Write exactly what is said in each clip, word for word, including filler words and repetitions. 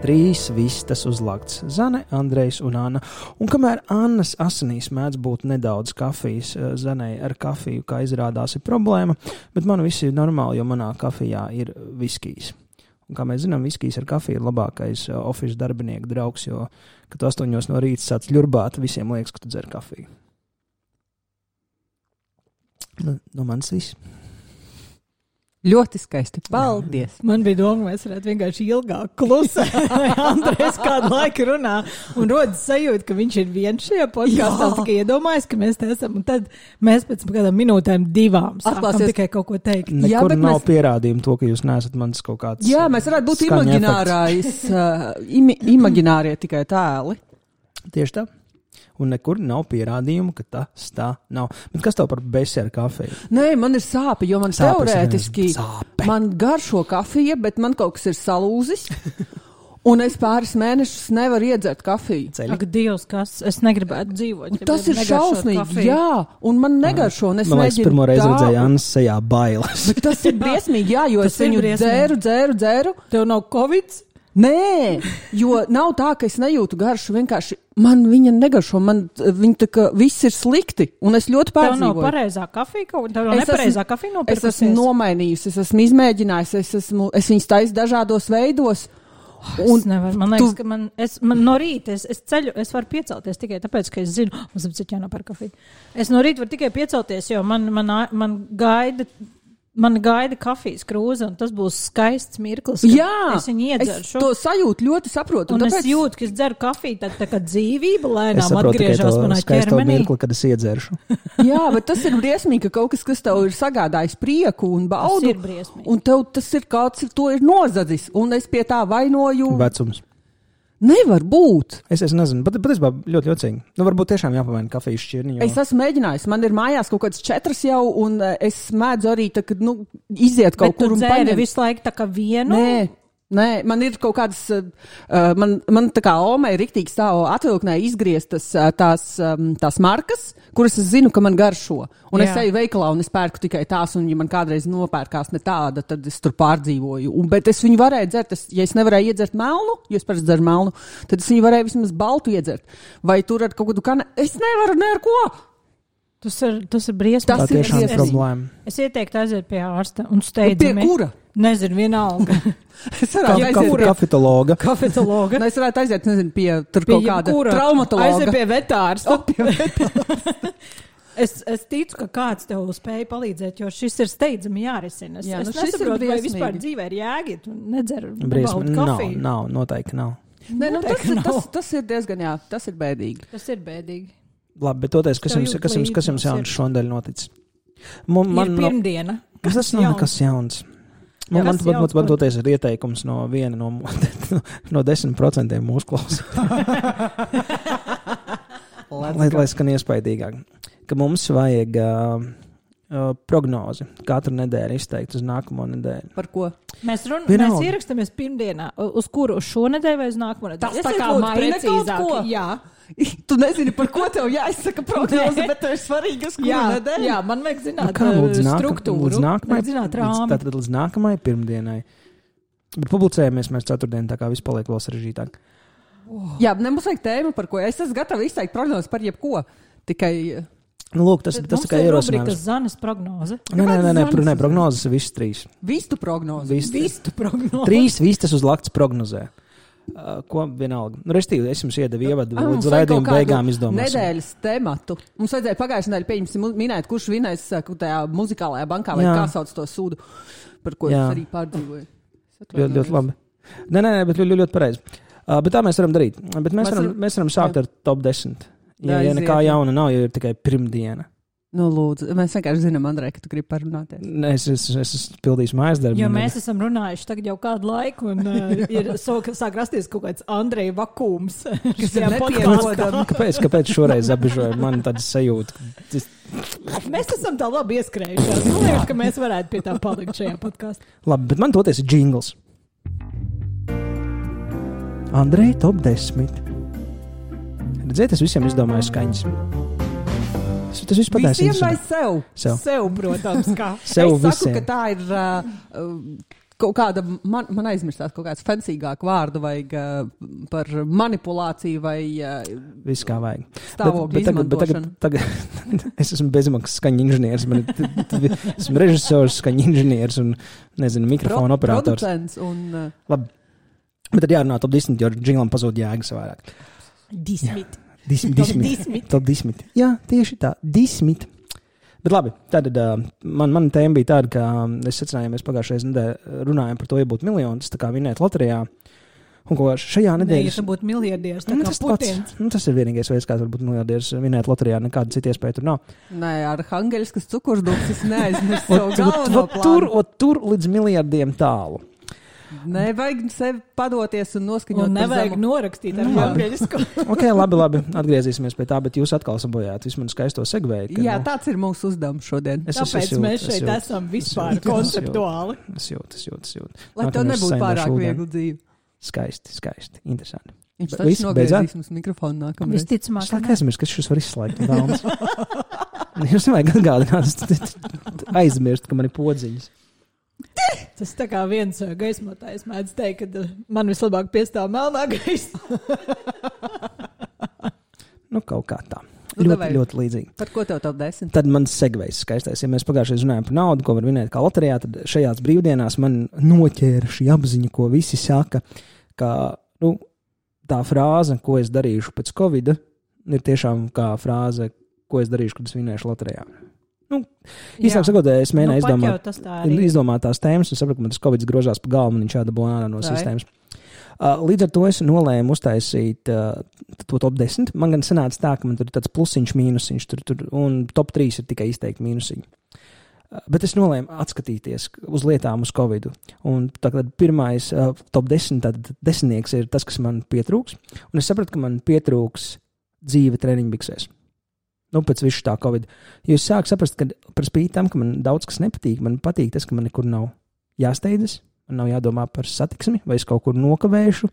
Trīs vistas uzlakts – Zane, Andrejs un Anna. Un kamēr Annas asinīs mēdz būt nedaudz kafijas, Zanei ar kafiju, kā izrādās, ir problēma, bet man viss ir normāli, jo manā kafijā ir viskijs. Un kā mēs zinām, viskijs ar kafiju ir labākais office darbinieku draugs, jo, kad tu astoņos no rīta sāc ļurbāt, visiem liekas, ka tu dzer kafiju. Nu, no manis viss. Ļoti skaisti. Paldies. Man bija doma, mēs varētu vienkārši ilgāk klusēt, vai Andrejs kādu laiku runā un rodas sajūta, ka viņš ir viens šajā podkastā, tikai iedomājas, ka mēs te esam, un tad mēs pēc kādām minūtēm divām sākam Atklāsies. Tikai kaut ko teikt. Nekur Jā, nav mēs... pierādījumu to, ka jūs neesat mans kaut kāds Jā, mēs varētu būt imaginārais, uh, imi, imaginārie tikai tēli. Tieši tā. Un nekur nav pierādījumu, ka tas tā nav. Bet kas tev par besi ar kafiju? Nē, man ir sāpe, jo man Sāpes teorētiski sāpe. Man garšo kafija, bet man kaut kas ir salūzis. Un es pāris mēnešus nevaru iedzert kafiju. Ceļi. Ak, Dievs, kas? Es negribētu dzīvot. Ja tas ir šausmīgi, jā. Un man negaršo. Un es man liekas, pirmo reizi redzēju Annas sejā bailes. Bet tas ir briesmīgi, jā, jo tas es viņu dzēru, dzēru, dzēru. Tev nav kovids? Nē, jo nav tā, ka es nejūtu garšu, vienkārši man viņa negaršo, man viņa tā kā viss ir slikti, un es ļoti pārdzīvoju. Tev nav pareizā kafija, kaut tev nav nepareizā kafija nopirkusies? Es esmu nomainījusi, es esmu izmēģinājusi, es, esmu, es viņas taisu dažādos veidos. Un es nevaru, man liekas, tu... ka man, es, man no rīta, es, es ceļu, es varu piecelties tikai tāpēc, ka es zinu, mums ir cik jānopēr kafiju. Es no rīta varu tikai piecelties, jo man, man, man gaida... Man gaida kafijas krūze, un tas būs skaists mirklis, kad Jā, es viņu iedzeršu. Es to sajūtu ļoti saprotu. Un, un tāpēc... es jūtu, ka es dzeru kafiju, tad tā kā dzīvība lēnām atgriežas manā ķermenī. Es saprotu tikai to mirkli, kad es iedzeršu. Jā, bet tas ir briesmīgi, ka kaut kas, kas tev ir sagādājis prieku un baudu. Tas ir briesmīgi. Un tev tas ir kāds, to ir nozadzis, un es pie tā vainoju. Vecums. Nevar būt. Es, es nezinu, bet patiesībā ļoti jocīgi. Nu, varbūt tiešām jāpamaina kafijas šķirni. Jo... Es esmu mēģinājis. Man ir mājās kaut kāds četras jau, un es mēdzu arī tā, kad, nu, iziet kaut bet kur un paņemt. Bet tu dzēri visu laiku tā kā vienu? Nē. Nē, man ir kaut kādas, uh, man, man tā kā Omai riktīgi stāv atvilknē izgrieztas uh, tās, um, tās markas, kuras es zinu, ka man garšo. Un Jā. Es eju veikalā un es pērku tikai tās, un ja man kādreiz nopērkās ne tāda, tad es tur pārdzīvoju. Un, bet es viņu varēju dzert, es, ja es nevarēju iedzert melnu, jo es parasti dzeru melnu, tad es viņu varēju vismaz baltu iedzert. Vai tur ar kaut kādu kane... Es nevaru ne ar ko! Tas ir, tas ir briesmīgi. Tā tiešām ir problēma. Es ieteiktu aiziet pie ārsta un steidzami. Pie kura? Nezinu, vienalga. Es varētu Ka, aiziet pie kafetologa. Kafetologa. Ne, es varētu aiziet, nezinu, pie tur pie kaut kāda kura? traumatologa. Aiziet pie vetārsta. O, pie vetārsta. es, es ticu, ka kāds tev spēja palīdzēt, jo šis ir steidzami jārisina. Es, Jā, es nu nesaprotu, vai vispār dzīvē ir jēgi, tu nedzer Briesmi. kafiju. Nav, nav, noteikti nav. Nē, nu, tas, tas, tas ir diezgan, jā, tas ir bēdīgi. Tas ir bēdīgi. Labi, bet toties, kas jums, kas jums, kas jums jauns šodien noticis? Man, man, ir pirmdiena. Kas tas nav nekas jauns? Man, Jā, man, kas man, jauns, man toties ir ieteikums no viena no, no desmit procentiem mūsu klausās. lai, lai skan iespaidīgāk. Ka mums vajag uh, uh, prognozi katru nedēļu izteikt uz nākamo nedēļu. Par ko? Mēs, run, mēs ierakstamies pirmdienā. Uz kuru? Uz šo nedēļu vai uz nākamo nedēļu? Tas tā kā maina kaut ko? Jā. Tu nezini, par ko tev jāizsaka prognoze, bet tev ir svarīgi, uz kuru jā, nedēļu. Jā, man vajag zināt nu kā, līdz nāka, struktūru. Līdz nākamai, zināt līdz, tātad līdz nākamai pirmdienai. Bet publicējamies mēs ceturtdien, tā kā viss paliek vēl sarežģītāk. Oh. Jā, nebūs vajag tēmu, par ko. Es esmu gatava izteikt prognozi par jebko. Tikai... Nu, lūk, tas, tas tikai ierosinājums. Mums ir Zanes prognoze. Nē, nē, nē, nē, nē prognozes ir visas trīs. Vistu prognoze. Vistu, Vistu prognoze. Trīs vistas uz lakts prognozē. Uh, ko vienalga. Nu, restīvi, es jums iedevu ievadu, ah, līdz raidījuma beigām izdomāsim. Nedēļas tematu. Mums vajadzēja pagājušajā nedēļā pieņemsim minēt, kurš vinēs tajā muzikālajā bankā, vai Jā. Kā sauc to sūdu, par ko Jā. Es arī pārdzīvoju. Ļoti, ļoti labi. Nē, nē, nē, bet ļoti, ļoti pareizi. Uh, bet tā mēs varam darīt. Bet mēs, varam, mēs varam sākt Jā. Ar top desmit. Ja, ja nekā jauna nav, jo ir tikai pirmdiena. Nu, lūdzu, mēs vienkārši zinām, Andrej, ka tu gribi parunāties. Nē, es, es, es, es pildīšu mājas darbu. Jo mēs esam runājuši tagad jau kādu laiku, un uh, ir so, sāk rasties kaut kāds Andreja vakums. Kas ir nepierodami. Kāpēc, kāpēc šoreiz apbežoja man tādas sajūta? Tas... Mēs esam tā labi ieskrējušās. Man liekas, ka mēs varētu pie tā palikt šajā podkāstā. Labi, bet man toties ir džingls. Andrej, top desmit. Redziet, es visiem izdomāju skaņas. Tas viss pateicis. Visiem vai sev? Sev, sev protams, kā. Sev es visiem. saku, ka tā ir uh, kaut kāda, man, man aizmirstās kaut kāds fancygāk vārdu vajag uh, par manipulāciju vai uh, viss kā vajag. Stāvokļu bet, bet tagad, tagad, tagad es esmu bezmaksas skaņu inženieris, man ir, esmu režisors, skaņu inženieris un, nezinu, mikrofonu Pro, operators. Producents un... Uh, Labi, bet tad jārunā top desmit, jo džinglam pazūd jēgas vairāk. Dismit. Dismit, dismit. Top desmit. Jā, tieši tā, desmit. Bet labi, tad uh, man, man tēma bija tāda, ka um, es secināju, mēs pagājušajā nedēļā runājām par to, ja būtu miljonus, tā kā vinēt loterijā. Un ko šajā nedēļā... Ne, ja tu būtu miljardieris, tā nu, kā tas Putins. Pats, nu, tas ir vienīgais veids, kā varbūt miljardieris vinēt loterijā, nekāda cita iespēja tur nav. Nē, ar Hangeļskas cukurdūks es neaizmirstu savu galveno plānu. Tur, tur līdz miljardiem tālu. Nevajag sevi padoties un noskaņot. Un nevajag norakstīt ar Hangeļsku. Ok, labi, labi, atgriezīsimies pie tā, bet jūs atkal sabojājāt visu manu skaisto segvēju. Jā, nu, tāds ir mūsu uzdevums šodien. Es, Tāpēc es, es jūt, mēs šeit es jūt, esam vispār es konceptuāli. Es jūtu, es jūtu, es jūtu. Lai tev nebūtu pārāk viegli dzīvi. Skaisti, skaisti, interesanti. Viņš taču nogriezīs mums mikrofonu nākamreiz. Visticamāk. Es laikam aizmirst, ka šis var izslēgt. Jūs nevajag atgādināt, aizmirst, ka man ir podziņas. Tas tā kā viens gaismotājs mēdz teikt, ka man vislabāk piestāv melnā gaisa. Nu, kaut kā tā. Nu, ļoti, davai. ļoti līdzīgi. Par ko tev top desmit? Tad man segvejs skaistais. Ja mēs pagājušajā runājām par naudu, ko var vinēt kā loterijā, tad šajās brīvdienās man noķēra šī apziņa, ko visi saka, ka nu, tā frāze, ko es darīšu pēc Covida, ir tiešām kā frāze, ko es darīšu, kad es vinēšu loterijā. Nu, īsāk sakot, es mēģināju nu, izdomāt, izdomāt tās tēmas, un sapratu, ka man tas Covids grožās pa galvu, un viņš jādabū ārā no sistēmas. Uh, līdz ar to es nolēmu uztaisīt uh, to top desmit. Man gan sanāca tā, ka man tur ir tāds plusiņš, mīnusiņš, tur, tur, un top trīs ir tikai izteikti mīnusiņi. Uh, bet es nolēmu atskatīties uz lietām uz Covidu. Un tagad pirmais uh, top desmit, tad desmitnieks ir tas, kas man pietrūks. Un es sapratu, ka man pietrūks dzīve treniņbiksēs. Nu, pēc visu tā Covid. Jo es sāku saprast, ka par spīti tam, ka man daudz kas nepatīk, man patīk tas, ka man nekur nav jāsteidzas, man nav jādomā par satiksmi, vai es kaut kur nokavēšu.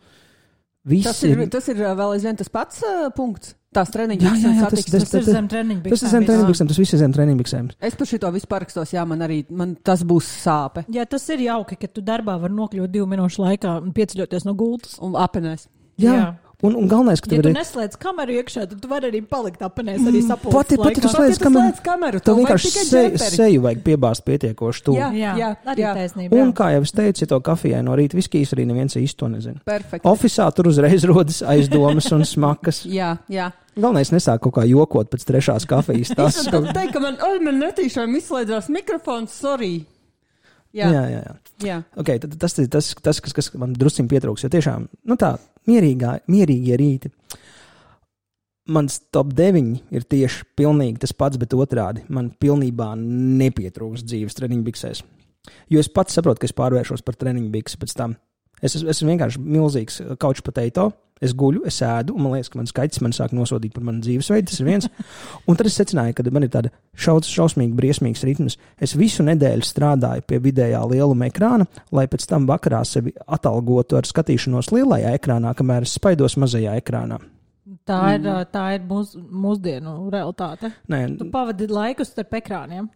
Viss tas ir, ir... Tas ir vēl aizvien tas pats uh, punkts. Tās treniņbiksēm satiksmes. Tas, tas, tas ir zem treniņbiksēm. Tas ir zem treniņbiksēm, tas viss ir zem treniņbiksēm. Es par šito visu parakstos, jā, man arī man tas būs sāpe. Jā, tas ir jauki, ka tu darbā var nokļūt divu minūšu laikā un pieceļoties no gultas. Un apenēs. Jā. Jā. Un, un galvenais, ka ja tu ir... neslēdz kameru iekšā, tad tu vari arī palikt apenēs arī sapulces Pati, pati tu slēdz kameru. kameru. Tev vienkārši seju, seju vajag piebāzt pietiekoši tu. Jā, jā, jā, arī jā. Taisnība. Un, jā. Kā jau es teicu, ja to kafijai no rīta viskijas arī neviens īsti to nezina. Perfekti. Ofisā tur uzreiz rodas aizdomas un smakas. Jā, jā. Galvenais nesāk kaut kā jokot pēc trešās kafijas. Tas, es varu teikt, ka man, oi, man netīšām izslēdzās mikrofons, sorry. Jā, jā, jā. jā. jā. Okay, tad, tas ir tas, tas, kas, kas man drusciņ pietrūks, jo tiešām, nu tā, mierīgā, mierīgie rīti. Mans top deviņi ir tieši pilnīgi tas pats, bet otrādi. Man pilnībā nepietrūks dzīves treniņbiksēs. Jo es pats saprotu, ka es pārvēršos par treniņbiksu pēc tam. Es esmu es vienkārši milzīgs couch potato. Es guļu, es ēdu, un man liekas, ka mans kaķis man sāk nosodīt par manu dzīvesveidu. Tas ir viens. Un tad es secināju, ka man ir tāda šaus, šausmīgi briesmīgs ritms. Es visu nedēļu strādāju pie vidējā lieluma ekrāna, lai pēc tam vakarā sevi atalgotu ar skatīšanos lielajā ekrānā, kamēr es spaidos mazajā ekrānā. Tā ir, mm. tā ir mūs, mūsdienu realitāte. Nē, tu pavadi laiku starp ekrāniem.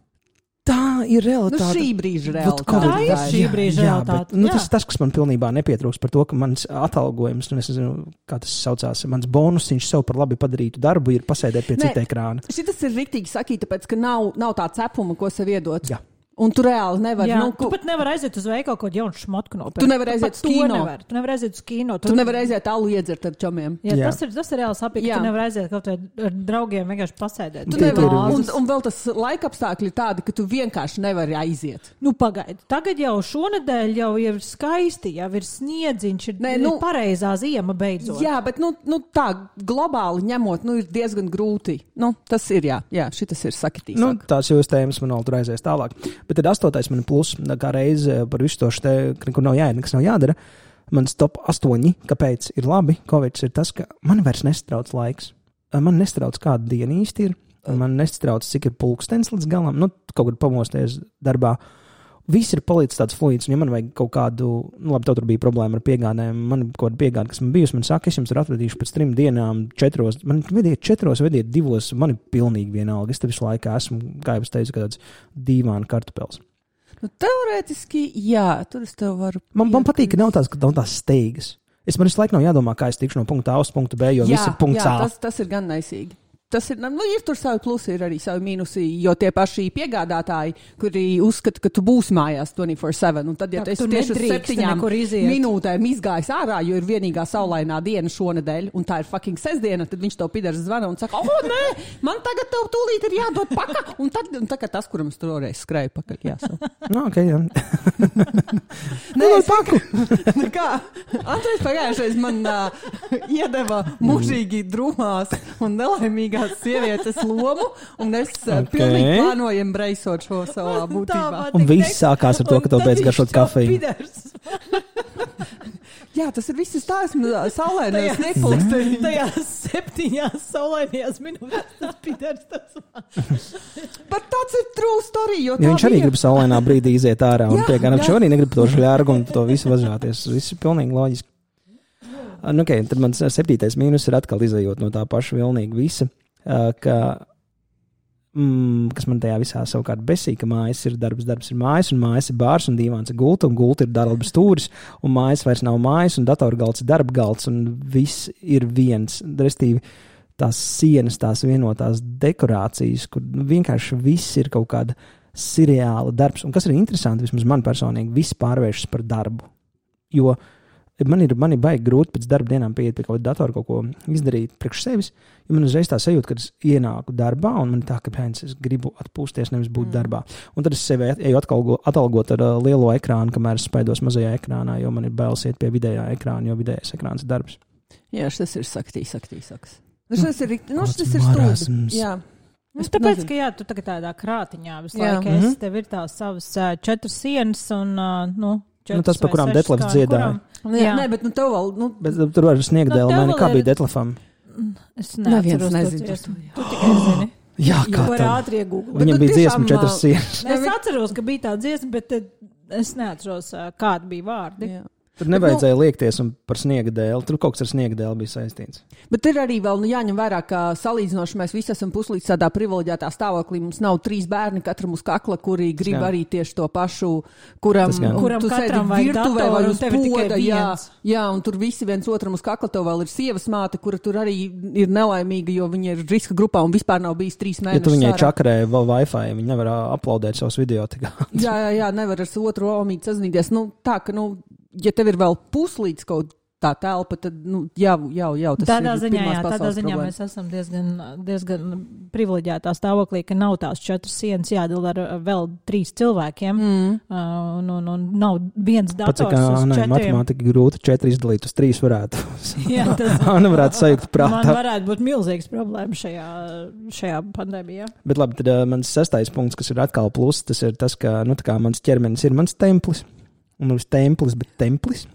Tā ir realitāte. Nu, šī brīža realitāte. Tā ir šī brīža jā, realitāte. Bet, nu, tas ir tas, kas man pilnībā nepietrūks par to, ka mans atalgojums, un es nezinu, kā tas saucās, mans bonusiņš sev par labi padarītu darbu ir pasēdēt pie ne, cita ekrāna. Šitas ir riktīgi sakīt, tāpēc, ka nav, nav tā cepuma, ko sev iedot. Jā. Un tu reāli nevari. Jā, nu, tu pat nevari aiziet uz veikalu kaut kādu jaunu šmotku nopirkt. Tu nevari aiziet uz kino. Nevar. Tu nevari aiziet uz kino. Tu, tu nevari aiziet alu iedzert ar čomiem. Jā, jā. Tas ir, tas ir reāli sapīgi. Tu nevari aiziet kaut vai ar draugiem vienkārši pasēdēt. Tu nevari. Un, un vēl tas laika apstākļi ir tādi, ka tu vienkārši nevari aiziet. Nu, pagaidi. Tagad jau šonedēļ jau ir skaisti, jau ir sniedziņš, ir, Nē, nu, ir pareizā ziema beidzot. Jā, bet nu, nu, tā globāli ņemot, nu, ir diezgan grūti. Nu, tas ir, jā, jā šitas ir sakitīsāk. Nu, tās jūs tēmas man vēl tur aizies tālāk. Bet tad astotais man plus, kā reize par visu to šte, nekur nav jāiet, nekas nav jādara. Mans top astoņi, kāpēc ir labi, Covids ir tas, ka man vairs nestrauc laiks. Man nestrauc kāda diena īsti ir, man nestrauc, cik ir pulkstens līdz galam, nu, kaut kur pamosties darbā. Viss ir palicis tāds fluids, un ja man vajag kaut kādu, nu labi, tev tur bija problēma ar piegādēm, man kaut kāda piegāda, kas man bijusi, man saka, es jums ir atvedīšu pēc trim dienām, četros, man vediet četros, vediet divos, man ir pilnīgi vienalga, es te visu laiku esmu, kā jau es teicu, kāds dīvāna kartupels. Nu, teorētiski, jā, tur es tev varu... Man, man patīk, ka nav tās, ka nav tās steigas. Es man visu laiku nav jādomā, kā es tikšu no punkta A uz punktu B, jo jā, viss ir punkts jā, A. Tas, tas ir gan naisīgi. Tas ir, nu, ir tur savi plusi, ir arī savi mīnusi, jo tie paši piegādātāji, kuri uzskata, ka tu būsi mājās twenty-four seven, un tad, ja tā, tu esi tieši uz septiņām minūtēm izgājis ārā, jo ir vienīgā saulainā diena šonedēļ, un tā ir fucking sestdiena, tad viņš tev pidars zvana un saka, o, nē, man tagad tev tūlīt ir jādod paka, un tad, un tā kā tas, kuram es toreiz skrēju pakaļ, jāsaka. No, ok, jā. Nē, es paku. Kā? Andrejs pagājušais man uh, iedeva mužīgi drumās un nelaimīgās sievietes lomu, un es uh, okay. pilnīgi plānoju embraceot šo savā būtībā. Un viss sākās ar to, ka tev beidz garšot kafiju. Jā, tas ir viss stāsmu saulainās nepulkstē. Tajās septiņās saulainajās minūtēs tas pidars tas man. Bet tāds ir true story, jo ja viņš arī bija... grib saulainā brīdī iziet ārā un piegādāt, viņš arī negrib to žļārgu un to visu vazāties. Viss ir pilnīgi loģiski. Nu, okay, tad mans septītais mīnus ir atkal izējot no tā paša vilnīga visa, ka, mm, kas man tajā visā savukārt besī, ka mājas ir darbs, darbs ir mājas, un mājas ir bārs, un dīvāns ir gulta, un gulta ir darba stūris, un mājas vairs nav mājas, un datorgalds ir darba galds, un viss ir viens. Restīvi, tās sienas, tās vienotās dekorācijas, kur vienkārši viss ir kaut kāda seriāla darbs. Un kas ir interesanti, vismaz man personīgi, viss pārvēršas par darbu. Jo man ir, man ir baigi grūti pēc darba dienām pieiet pie kaut kāda datora kaut ko izdarīt priekš sevis, jo man uzreiz tā sajūta, kad es ienāku darbā, un man tā, ka pēc es gribu atpūsties, nevis būt mm. darbā. Un tad es sevi eju atalgot, atalgot ar uh, lielo ekrānu, kamēr es spaidos mazajā ekrānā, jo man ir bailes iet pie vidējā ekrāna, jo vidējais ekrāns ir darbs. Jā, šis ir saktī, saktī, saks. Nu, šis ir, nu, šis ir stūds. Jā. Es tāpēc, nezinu. Ka jā, tu tagad tādā krātiņā visu laiku mm-hmm. esi, tev ir tās savas uh, četras sienas un, uh, nu, Nu, tas, pa kurām Detlefs dziedāja. Nu, jā, nē, bet nu tev vēl... Nu... Bet tur var sniegt nu, dēļ, kā ir... bija Detlefam. Es neatceros to dziesmu. Tu tikai zini. Jā, kā tā. Ātri iegūgli. Viņam bija dziesma četras sienas. Es atceros, ka bija tā dziesma, bet es neatceros, kādi bija vārdi. Jā. Tur nevajadzēja nu, liekties un par sniega dēli. Tur kaut kas ar sniega dēli bija saistīts. Bet ir arī vēl nu, jāņem vērā, ka salīdzinoši mēs visi esam puslīdz tādā privileģētā stāvoklī. Mums nav trīs bērni katram uz kakla, kuri grib jā. Arī tieši to pašu, kuram, kuram tu katram vajag virtuvē vai uz poda. Jā, viens. jā, un tur visi viens otram uz kakla. Tev vēl ir sievas māte, kura tur arī ir nelaimīga, jo viņa ir riska grupā un vispār nav bijis trīs mēnešus. Ja tu viņai čakarē vēl Wi-Fi, viņa nevar uploadēt savus video. jā, jā, jā, nevar ar otru omīti sazināties. Nu, tā, ka, nu, ja tev ir vēl puslīdz kaut tā telpa, tad, nu, jau, jau, jau tas tādā ir ziņā, jā, tādā ziņā problēma. Mēs esam diezgan, diezgan privileģētā stāvoklī, ka nav tās četras sienas jādala ar vēl trīs cilvēkiem, mm. uh, un, un, un nav viens dators Pats, kā, uz ne, četriem. Matemātika grūti četri izdalīt, uz trīs varētu. jā, tas Āna varētu sajūgt prātā. Man varētu būt milzīgs problēma šajā, šajā pandēmijā. Bet labi, tad uh, mans sestais punkts, kas ir atkal plus, tas ir tas, ka, nu, tā kā mans ķermenis ir mans templis, un nevis templis, bet templis.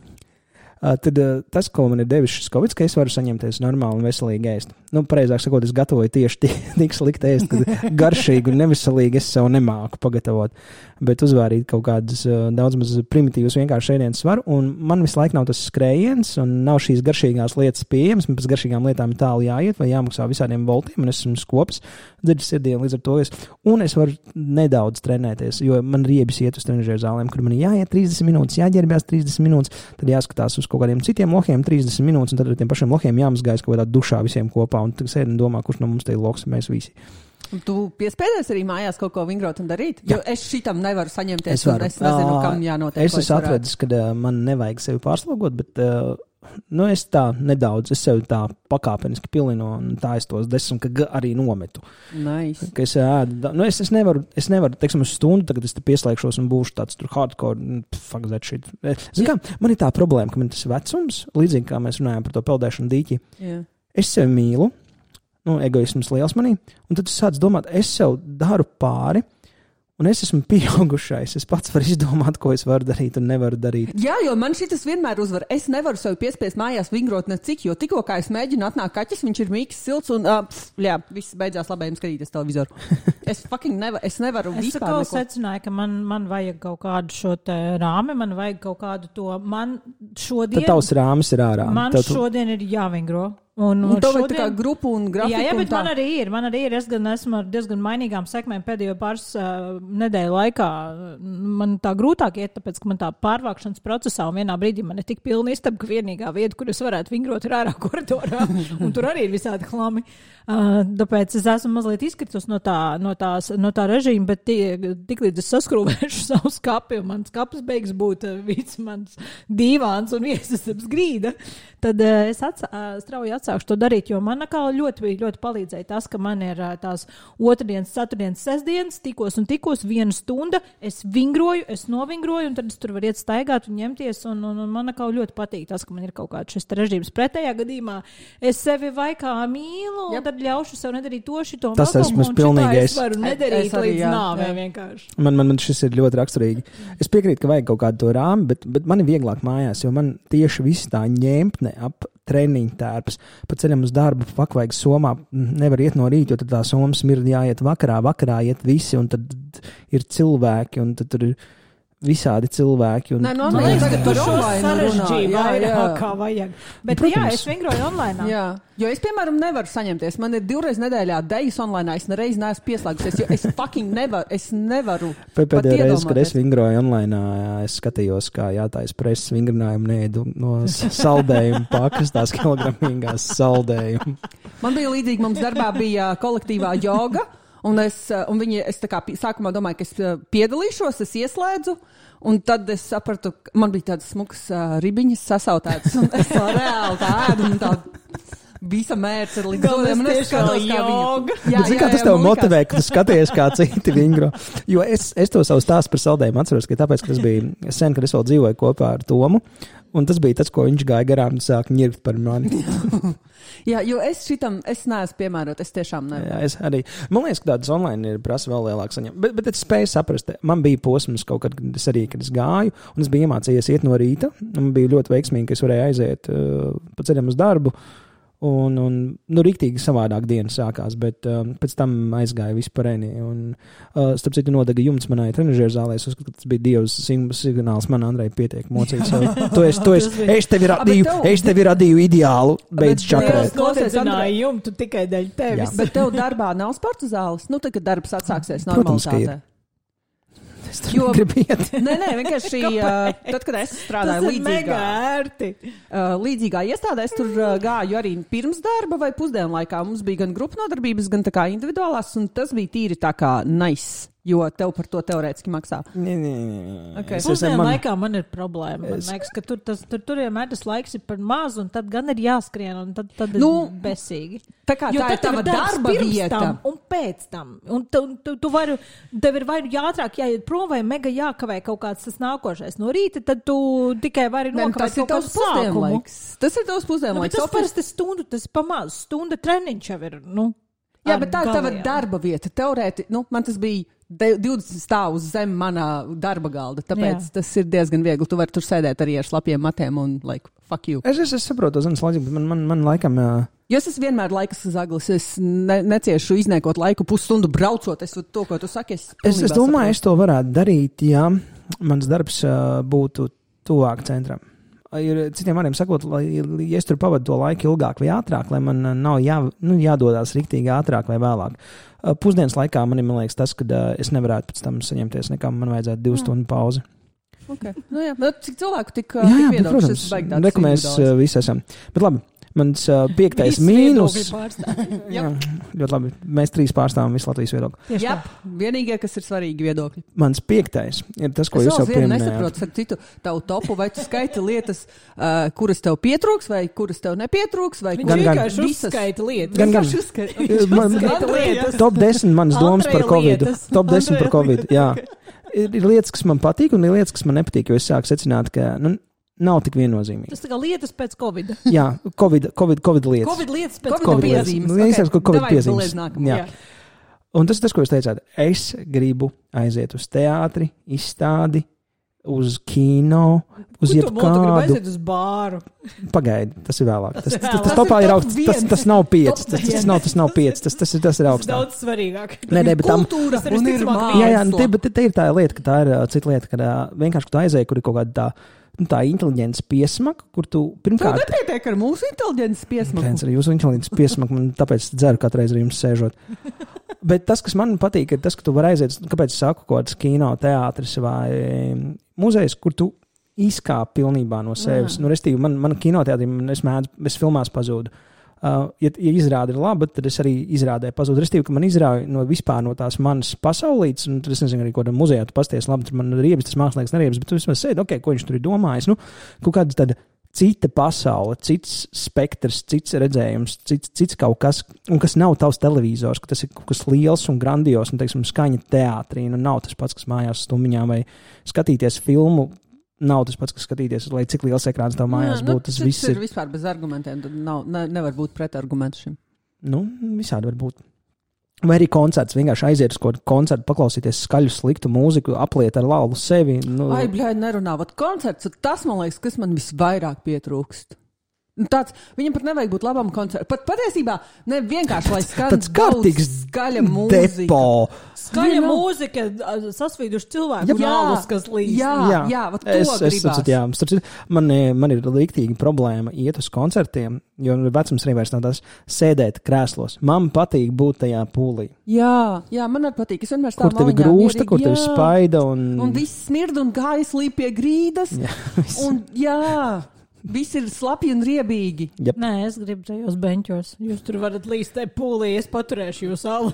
Uh, tad uh, tas, ko man ir devis šis Covid, ka es varu saņemties normāli un veselīgi ēst. Nu, pareizāk sakot, es gatavoju tieši tik, tik slikti ēst, ka garšīgi un neveselīgi es sev nemāku pagatavot, bet uzvārīt kaut kādas uh, daudz maz primitīvas vienkārši ēdienas varu, un man visu laiku nav tas skrējiens, un nav šīs garšīgās lietas pieejamas, man pēc garšīgām lietām ir tālu jāiet, vai jāmaksā visādiem voltiem, un es esmu skops, dzirdis sirdienu līdz ar to, es, un es varu nedaudz trenēties, jo man riebis iet uz trenižēru zālēm, kur man ir jāiet trīsdesmit minūtes, jāģērbjās trīsdesmit minūtes, tad jāskatās uz kaut kādiem citiem lohiem trīsdesmit minūtes, un tad ar tiem pašiem lohiem jāmazgājas kaut kādā dušā visiem kopā, un tad sēdi un domā, kurš no mums te ir loks, mēs visi. Un tu piespēdies arī mājās kaut ko vingrot un darīt? Jo Jā. es šitam nevaru saņemties, es, varu. un es nezinu, kam jānotiek. Es esmu atradis, ka uh, man nevajag sevi pārslogot, bet uh, nu, es tā nedaudz, es sevi tā pakāpeniski pilinu, un tā es tos desmit, ka arī nometu. Nice. Ka es, ēdu, nu, es, es nevaru, es nevaru, teiksim, uz stundu, tagad es te pieslēgšos un būšu tāds tur hardcore, fuck that shit. Zin kā, man ir tā problēma, ka man tas vecums, līdzīgi kā mēs runājam par to peldēšanu dīķi, yeah. es sevi mīlu, nu, egoisms liels manī, un tad tu sāc domāt, es sev daru pāri, un es esmu pieaugušais, es pats varu izdomāt, ko es varu darīt un nevaru darīt. Jā, jo man šitas vienmēr uzvar. Es nevaru sev piespiest mājās vingrot necik, jo tikko kā es mēģinu atnāk kaķis, viņš ir mīks, silts un, uh, pff, jā, viss beidzās labējiem skatīties televizoru. Es fucking nevaru, es nevaru es vispār neko. Es secināju, ka man, man vajag kaut kādu šo te rāmi, man vajag kaut kādu to, man šodien... Tad tavs rāmis ir ārā. Man Tad tu... šodien ir jāvingro. Un, un to šodien... tā kā grupu un grafiku. Jā, jā, bet tā... man arī ir, man arī ir, es gan esmu ar diezgan mainīgām sekmēm pēdējo pāris uh, nedēļu laikā. Man tā grūtāk iet, tāpēc, ka man tā pārvākšanas procesā un vienā brīdī man ir tik pilna istaba, ka vienīgā vieta, kur es varētu vingrot, ir ārā koridorā, un tur arī ir visādi klami. Uh, tāpēc es esmu mazliet izkritus no tā, no tās, no tā režīma, bet tie, tik līdz es saskrūvēšu savu skapi, un mans skapis beigas būt uh, viss mans dīvāns un viesistabas grīda, tad uh, es atsā, uh, strauji atsākšu to darīt, jo man kā ļoti, ļoti palīdzēja tas, ka man ir uh, tās otrdienas, ceturtdienas, sestdienas, tikos un tikos viena stunda, es vingroju, es novingroju, un tad es tur varu iet staigāt un ņemties, un, un, un man kā ļoti patīk tas, ka man ir kaut kāds šis režīms. Pretējā gadījumā es sevi vai kā mīlu, un yep. tad ļaušu sev nedarīt to, šito, tas esmu es pilnīgi. Es varu nedarīt es arī, līdz jā, nāvē jā. vienkārši. Man, man, man šis ir ļoti raksturīgi. Es piekrītu, ka vajag kaut kādu to rāmi, bet, bet man ir vieglāk mājās, jo man tieši viss tā ņemtne ap treniņu tērpus. Pa ceļam uz darbu, pak vajag somā, nevar iet no rīta, jo tad tā soma smirda jāiet vakarā, vakarā iet visi, un tad ir cilvēki, un tad tur ir visādi cilvēki. Un... Nē, no man liekas, tagad par online sarežģīju vairāk kā vajag. Bet Protams. jā, es vingroju online. Jā, jo es, piemēram, nevaru saņemties. Man ir divreiz nedēļā dejas online, es nereiz neesmu pieslēgusies, jo es fucking nevaru, es nevaru Pēdējā reize, kad es vingroju online, es skatījos, kā jātais preses vingrinājumu neēdu no saldējumu pakas, tās kilogramīgās saldējumu. Man bija līdzīgi, mums darbā bija kolektīvā joga, un es, un viņi, es tā kā sākumā domāju, ka es piedalīšos, es ieslēdzu, un tad es sapratu, man bija tādas smukas uh, ribiņas sasautētas, un es tā reāli tā ēdu, un tā visa mērķa ir līdz godiem, un es skatos, kā viņu. Jā, bet, jā, kā tas tev motivē, ka tu skaties, kā citi vingro? Jo es, es to savu stāstu par saldējumu atceros, ka tāpēc, ka tas bija sen, kad es vēl dzīvoju kopā ar Tomu, un tas bija tas, ko viņš gāja garām un sāk ņirgt par mani. Jā, jo es šitam, es neesmu piemērot, es tiešām nevaru. Jā, es arī. Man liekas, ka tādas online ir prasa vēl lielāk saņemt. Bet, bet es spēju saprast, man bija posms kaut kad, kad es arī, kad es gāju, un es biju iemācījies iet no rīta, un man bija ļoti veiksmīgi, ka es varēju aiziet uh, pa ceļam uz darbu, un, un nu, riktīgi savādāk diena sākās, bet um, pēc tam aizgāja vispārēni, un uh, starp citu nodega jumts manai trenažieru zālē, es uzskatu, ka tas bija Dievs signāls man, Andrei, pietiek mocīt sev. Tu esi, tu esi, es tevi radīju, es tevi radīju ideālu, beidz čakarēt. Es nodedzināju jumtu tikai dēļ tevis. Jā. Bet tev darbā nav sporta zāles? Nu, tad, kad darbs atsāksies normalitātē. Es tur jo, negribu iet. Nē, nē, vienkārši uh, tad, kad es strādāju līdzīgā, uh, līdzīgā iestādē, es tur uh, gāju arī pirms darba vai pusdienlaikā. Mums bija gan grupu nodarbības, gan tā kā individuālās, un tas bija tīri tā kā nice. Jo tev par to teorētiski maksā. Nē, nē, nē. Okay. Pusdienu man... laikā man ir problēma. Man es... liekas, ka tur, tas, tur, tur vienmēr tas laiks ir par mazu, un tad gan ir jāskrien, un tad, tad nu, ir besīgi. Tā kā jo tā ir tava darba vieta. Tam, un pēc tam. Un tu, tu, tu vari, tev ir vai jātrāk jāiet prom, vai mega jākavē kaut kāds tas nākošais no rīta, tad tu tikai vari nokavēt kaut kādu sākumu. Tas ir tavs pusdienlaiks. Nu, tas parasti stundu, tas ir pamaz. Stunda treniņš jau ir, nu. Jā, bet tā ir tava darba vieta. Teorēti, nu, man tas bija divdesmit stāvus zem manā darba galda, tāpēc jā. Tas ir diezgan viegli. Tu vari tur sēdēt arī ar slapjiem matiem un, like, fuck you. Es, es, es saprotu, zinas loģiku, bet man, man, man laikam... Jā. Jo es esmu vienmēr laikas zaglis, es ne, neciešu izniekot laiku pusstundu braucot, es to, ko tu saki, es... Es, es domāju, es to varētu darīt, ja mans darbs uh, būtu tuvāk centram. Ir citiem vārdiem sakot, lai, ja es tur pavadu to laiku ilgāk vai ātrāk, lai man nav jā, nu, jādodās riktīgi ātrāk vai vēlāk. Pusdienas laikā man ir, man liekas, tas, ka es nevarētu pēc tam saņemties nekā, man vajadzētu divu stundu pauzi. Okay. Nu jā, bet cik cilvēku tik, jā, jā, tik viedokļus, es baigi tāds individuāls. Mēs visi esam. Bet labi. Mans uh, piektais mīnus. Jā, ļoti labi. Mēs trīs pārstāvam visu Latvijas viedokli. Jā, vienīgie, kas ir svarīgi viedokļi. Mans piektais ir tas, ko es jūs jau pieminējāt. Es nesaprotu, ar citu tavu topu, vai tu skaiti lietas, uh, kuras tev pietrūks, vai kuras tev nepietrūks, vai kuras vienkārši uzskaita lietas. Gan, gan. Uzskaita lietas. Top desmit manas domas par Covidu. Top desmit par Covidu, jā. Ir, ir lietas, kas man patīk, un ir lietas, kas man nepatīk, jo es sāku secināt, ka... Nu, nav tik viennozīmīgi. Tas tā kā lietas pēc Covida. Jā, Covid, COVID, COVID lietas. Covid lietas pēc Covid, COVID piezīmes. Okay. Covid, COVID piezīmes. Jā. Jā. Un tas ir tas, ko jūs teicāt. Es gribu aiziet uz teātri, izstādi, uz kino, uz jebkādu. Tu gribu aiziet uz bāru. Pagaidi, tas ir vēlāk. Tas, tas, tas, tas topā ir augsts. Tas, tas nav pieci. Tas, tas, nav, tas nav pieci. Tas, tas, tas ir augsts. Tas daudz svarīgāk. Nē, nē, bet tam... Kultūra un ir māksla. Jā, jā, te, bet te ir tā lieta, ka tā ir uh, cita lieta, ka uh, vienkārši, ka tu aizēji, kur ir kaut kāda tā tā inteliģents piesmaka, kur tu pirmkārt... Tu nepietiek ar mūsu inteliģents piesmaku. Pēc ar jūsu inteliģents piesmaku, man tāpēc dzeru katru reizi ar jums sēžot. Bet tas, kas man patīk, ir tas, ka tu vari aiziet, kāpēc es saku, kaut kāds kino, teātris vai muzejs, kur tu izkāp pilnībā no sevis. Jā. Nu, restīvi, man, man kinoteātrī, es mēdzu, es filmās pazūdu. Uh, ja, ja izrāda ir laba, tad es arī izrādē pazūdu. Restīvi, ka man izrāja no vispār no tās manas pasaulītes, un tad es nezinu arī, ko tam muzejā tu pasties labi, tur man riebis, tas mākslinieks neriebis, bet tu vismaz sēdi, ok, ko viņš tur ir domājis. Nu, kaut kāda tāda cita pasaule, cits spektrs, cits redzējums, cits, cits kaut kas, un kas nav tavs televizors, ka tas ir kaut kas liels un grandios, un, teiksim, skaņa teātrī, un nav tas pats, kas mājās stumiņā, vai skatīties filmu. Nav tas pats, kas skatīties, lai cik liels ekrāns tev mājās jā, būtu. Tas nu, viss ir vispār bez argumentiem. Tad nav, ne, nevar būt pretargumentu šim. Nu, visādi var būt. Vai arī koncerts, vienkārši aiziet uz kaut koncertu, paklausīties skaļu, sliktu mūziku, apliet ar lauvu sevi. Nu... Ai, bļāj, nerunā. Vat koncerts, tas, man liekas, kas man visvairāk pietrūkst. Tāds, viņam pat nevajag būt labam koncertam. Pat patiesībā ne vienkārši, lai skan daudz skaļa mūzika. Depo. Skaļa mūzika, sasvīduši cilvēku galvas, kas līdz. Jā, jā, jā, vat to es, es, gribās. Jā, starp, man, man ir rīktīgi problēma iet uz koncertiem, jo vecums arī vairs nav tas sēdēt krēslos. Man patīk būt tajā pūlī. Jā, jā, man arī patīk. Es vienmēr stāvu kur tevi grūsta, kur tevi spaida. Un, un viss smird un kājas līp pie grīdas. Jā, un jā. Viss ir slapji un riebīgi. Yep. Nē, es gribu tajos beņķos. Jūs tur varat līst te pūlī, es paturēšu jūs salu.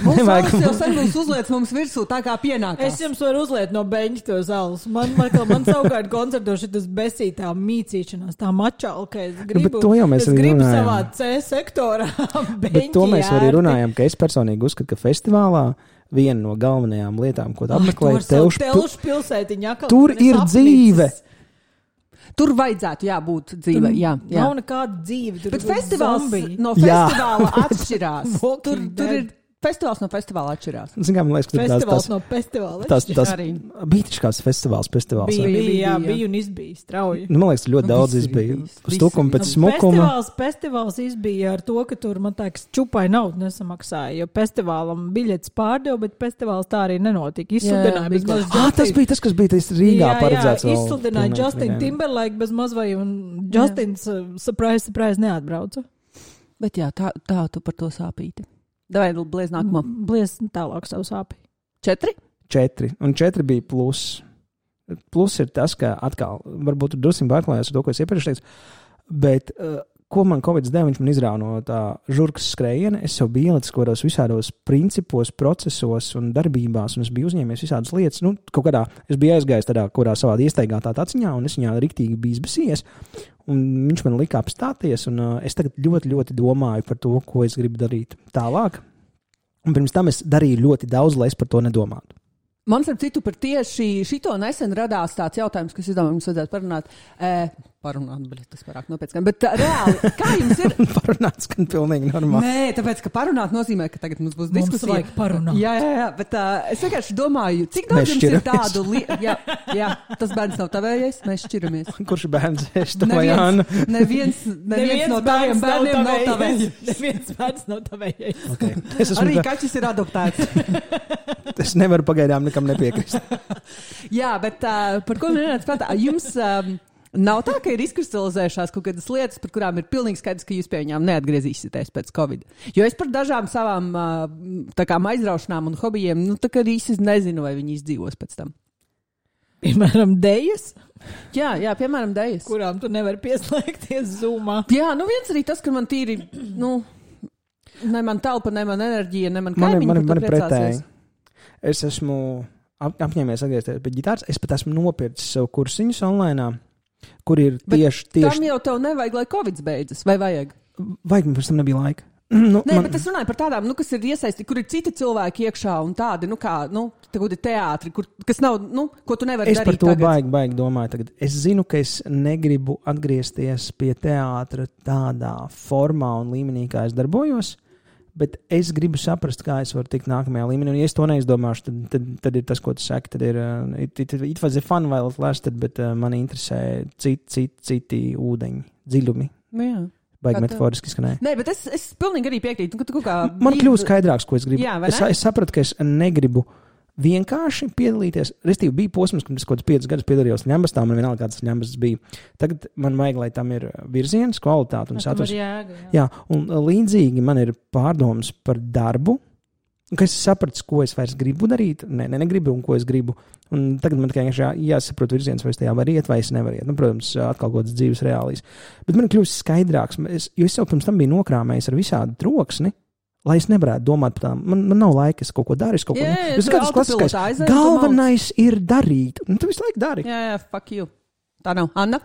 Mums salas jau sen būs uzliec mums virsū tā kā pienākās. Es jums varu uzliet no beņķa to salus. Man, man, man savukārt koncertoši tas besītā mīcīšanās, tā mačalka. Es gribu, bet to jau mēs es arī gribu runājam. savā C sektorā beņķi Bet to mēs arī ērti. runājam, ka es personīgi uzskatu, ka festivālā viena no galvenajām lietām, ko tu apmeklē, ir telšu, telšu pilsētiņa. Tur ir dzīve. Tur vajadzētu jābūt dzīvē, jā, jā. Nav nekāda dzīve. Tur bet festivāls zombiji. no festivāla atšķirās. tur, tur ir festivāls no festivāla atšķirās. Zin, kā, man liekas, ka festivāls tās, no festivāla tās, tās, arī. bija taču kāds festivāls, festivāls. Bija, bija, bija, jā, bija. bija un izbija strauji. Nu, man liekas, ļoti Nu, daudz visi izbija. bija. Uz tukuma pēc Nu, smukuma. Festivāls, festivāls izbija ar to, ka tur, man teiks, čupai naudu nesamaksāja, jo festivālam biļetes pārdeva, bet festivāls tā arī nenotika. Izsludināja bez maz Ah, tas bija tas, kas bija tas Rīgā paredzēts. Jā, jā, izsludināja Justin Timberlake bez mazvai, un Justins uh, surprise, surprise neatbrauca. Bet jā, tā, tā tu par to sāpīti. Davai, bliez nākamā. Bliez tālāk savu sāpi. Četri? Četri. Un četri bija plus. Plus ir tas, ka atkal, varbūt tur drusku pārklājās ar to, ko es iepriekš teicu, bet uh, ko man Covid deva, viņš man izrāva no tā žurkas skrējiena. Es jau biju ielicis kaut kādos visādos principos, procesos un darbībās, un es biju uzņēmies visādas lietas. Nu, kaut kādā, es biju aizgājis tādā, kurā savā iesteigā tā taciņā, un es viņā riktīgi biju izbesies, un viņš man lika apstāties, un uh, es tagad ļoti, ļoti domāju par to, ko es gribu darīt tālāk. Un pirms tam es darīju ļoti daudz, lai es par to nedomātu. Man starp citu par tieši šito nesen radās tāds jautājums, kas, es domāju, mums vajadzētu parunāt. E, parunāt, bet tas varāk nopietni. Bet tā, reāli, kā jums ir? Parunāt skan pilnīgi normāli. Nē, tāpēc, ka parunāt nozīmē, ka tagad mums būs diskusija. Mums vajag parunāt. Jā, jā, jā, bet uh, es vienkārši domāju, cik daudz Mēs jums ir šķiramies. tādu lietu. Jā, jā, tas bērns nav tavējais, mēs šķiramies. Kurš bērns es to vai Anna? Neviens, neviens, neviens no taviem bērniem nav tavējais. Neviens bērns nav tavējais. Okay. Es esmu, Arī kaķis ir adoptēts. es nevaru pagaidām nekam nepiekrist. Jā, bet uh, par ko nenāc prātā? Jums um, nav tā, ka ir izkristalizējušās kaut kādas lietas, par kurām ir pilnīgi skaidrs, ka jūs pie viņām neatgriezīsieties pēc Covid. Jo es par dažām savām uh, tā kā aizraušanām un hobijiem, nu tā kā arī es nezinu, vai viņi izdzīvos pēc tam. Piemēram, dejas, Jā, jā, piemēram, dejas. kurām tu nevari pieslēgties Zoomā. Jā, nu viens arī tas, ka man tīri, nu, ne man telpa, ne man enerģija, ne man Man, kaimiņi, man, par to man pretēji. priecāsies. Es esmu ap, apņēmies atgriezties pie ģitāras. Es pat esmu nopircis sev kursiņus online, kur ir Bet tieši, Tam tieši, jau tev nevajag, lai Covid beidzas, vai vajag? vajag, man pirms tam nebija laika. Nu, Nē, man, bet es runāju par tādām, nu, kas ir iesaistīti, kur ir citi cilvēki iekšā un tādi, nu, kā, nu, tagad ir teātri, kur, kas nav, nu, ko tu nevari es darīt par to tagad. baigi, baigi domāju tagad. Es zinu, ka es negribu atgriezties pie teātra tādā formā un līmenī, kā es darbojos, bet es gribu saprast, kā es varu tikt nākamajā līmenī. Un, ja es to neizdomāšu, tad, tad, tad ir tas, ko tu saki. Tad ir, uh, it, it, it was a fun while it lasted, bet uh, man interesē citi, citi, citi ūdeņi, dziļumi. Nu, jā. Baigi Kā tev? metaforiski skanēja. Nē, bet es, es pilnīgi arī piekrītu, ka tu kaut kā... Man kļūst skaidrāks, ko es gribu. Jā, vai es, ne? es sapratu, ka es negribu vienkārši piedalīties. Restīvi bija posms, kad es kaut kādus piecus gadus piedalījos ņembastā, man vienalga kāds ņembastas bija. Tagad man vajag, lai tam ir virziens, kvalitāte un saturs. Jēga, jā. jā, un līdzīgi man ir pārdomas par darbu, ka es sapratu, ko es vairs gribu darīt, ne, ne, negribu un ko es gribu. Un tagad man tikai jā, jāsaprot virziens, vai es tajā varu iet, vai es nevaru iet. Nu, protams, atkal kaut kādas dzīves reālijas. Bet man kļūst skaidrāks, es, jo es jau pirms tam biju nokrāmējis ar visādu troksni, lai es nevarētu domāt par tām. Man, man nav laika, es kaut ko daru, es kaut ko... Jā, es kāds klasiskais, galvenais ir darīt. Un tu visu laiku dari. Jā, jā, fuck you. Tā nav. Anna?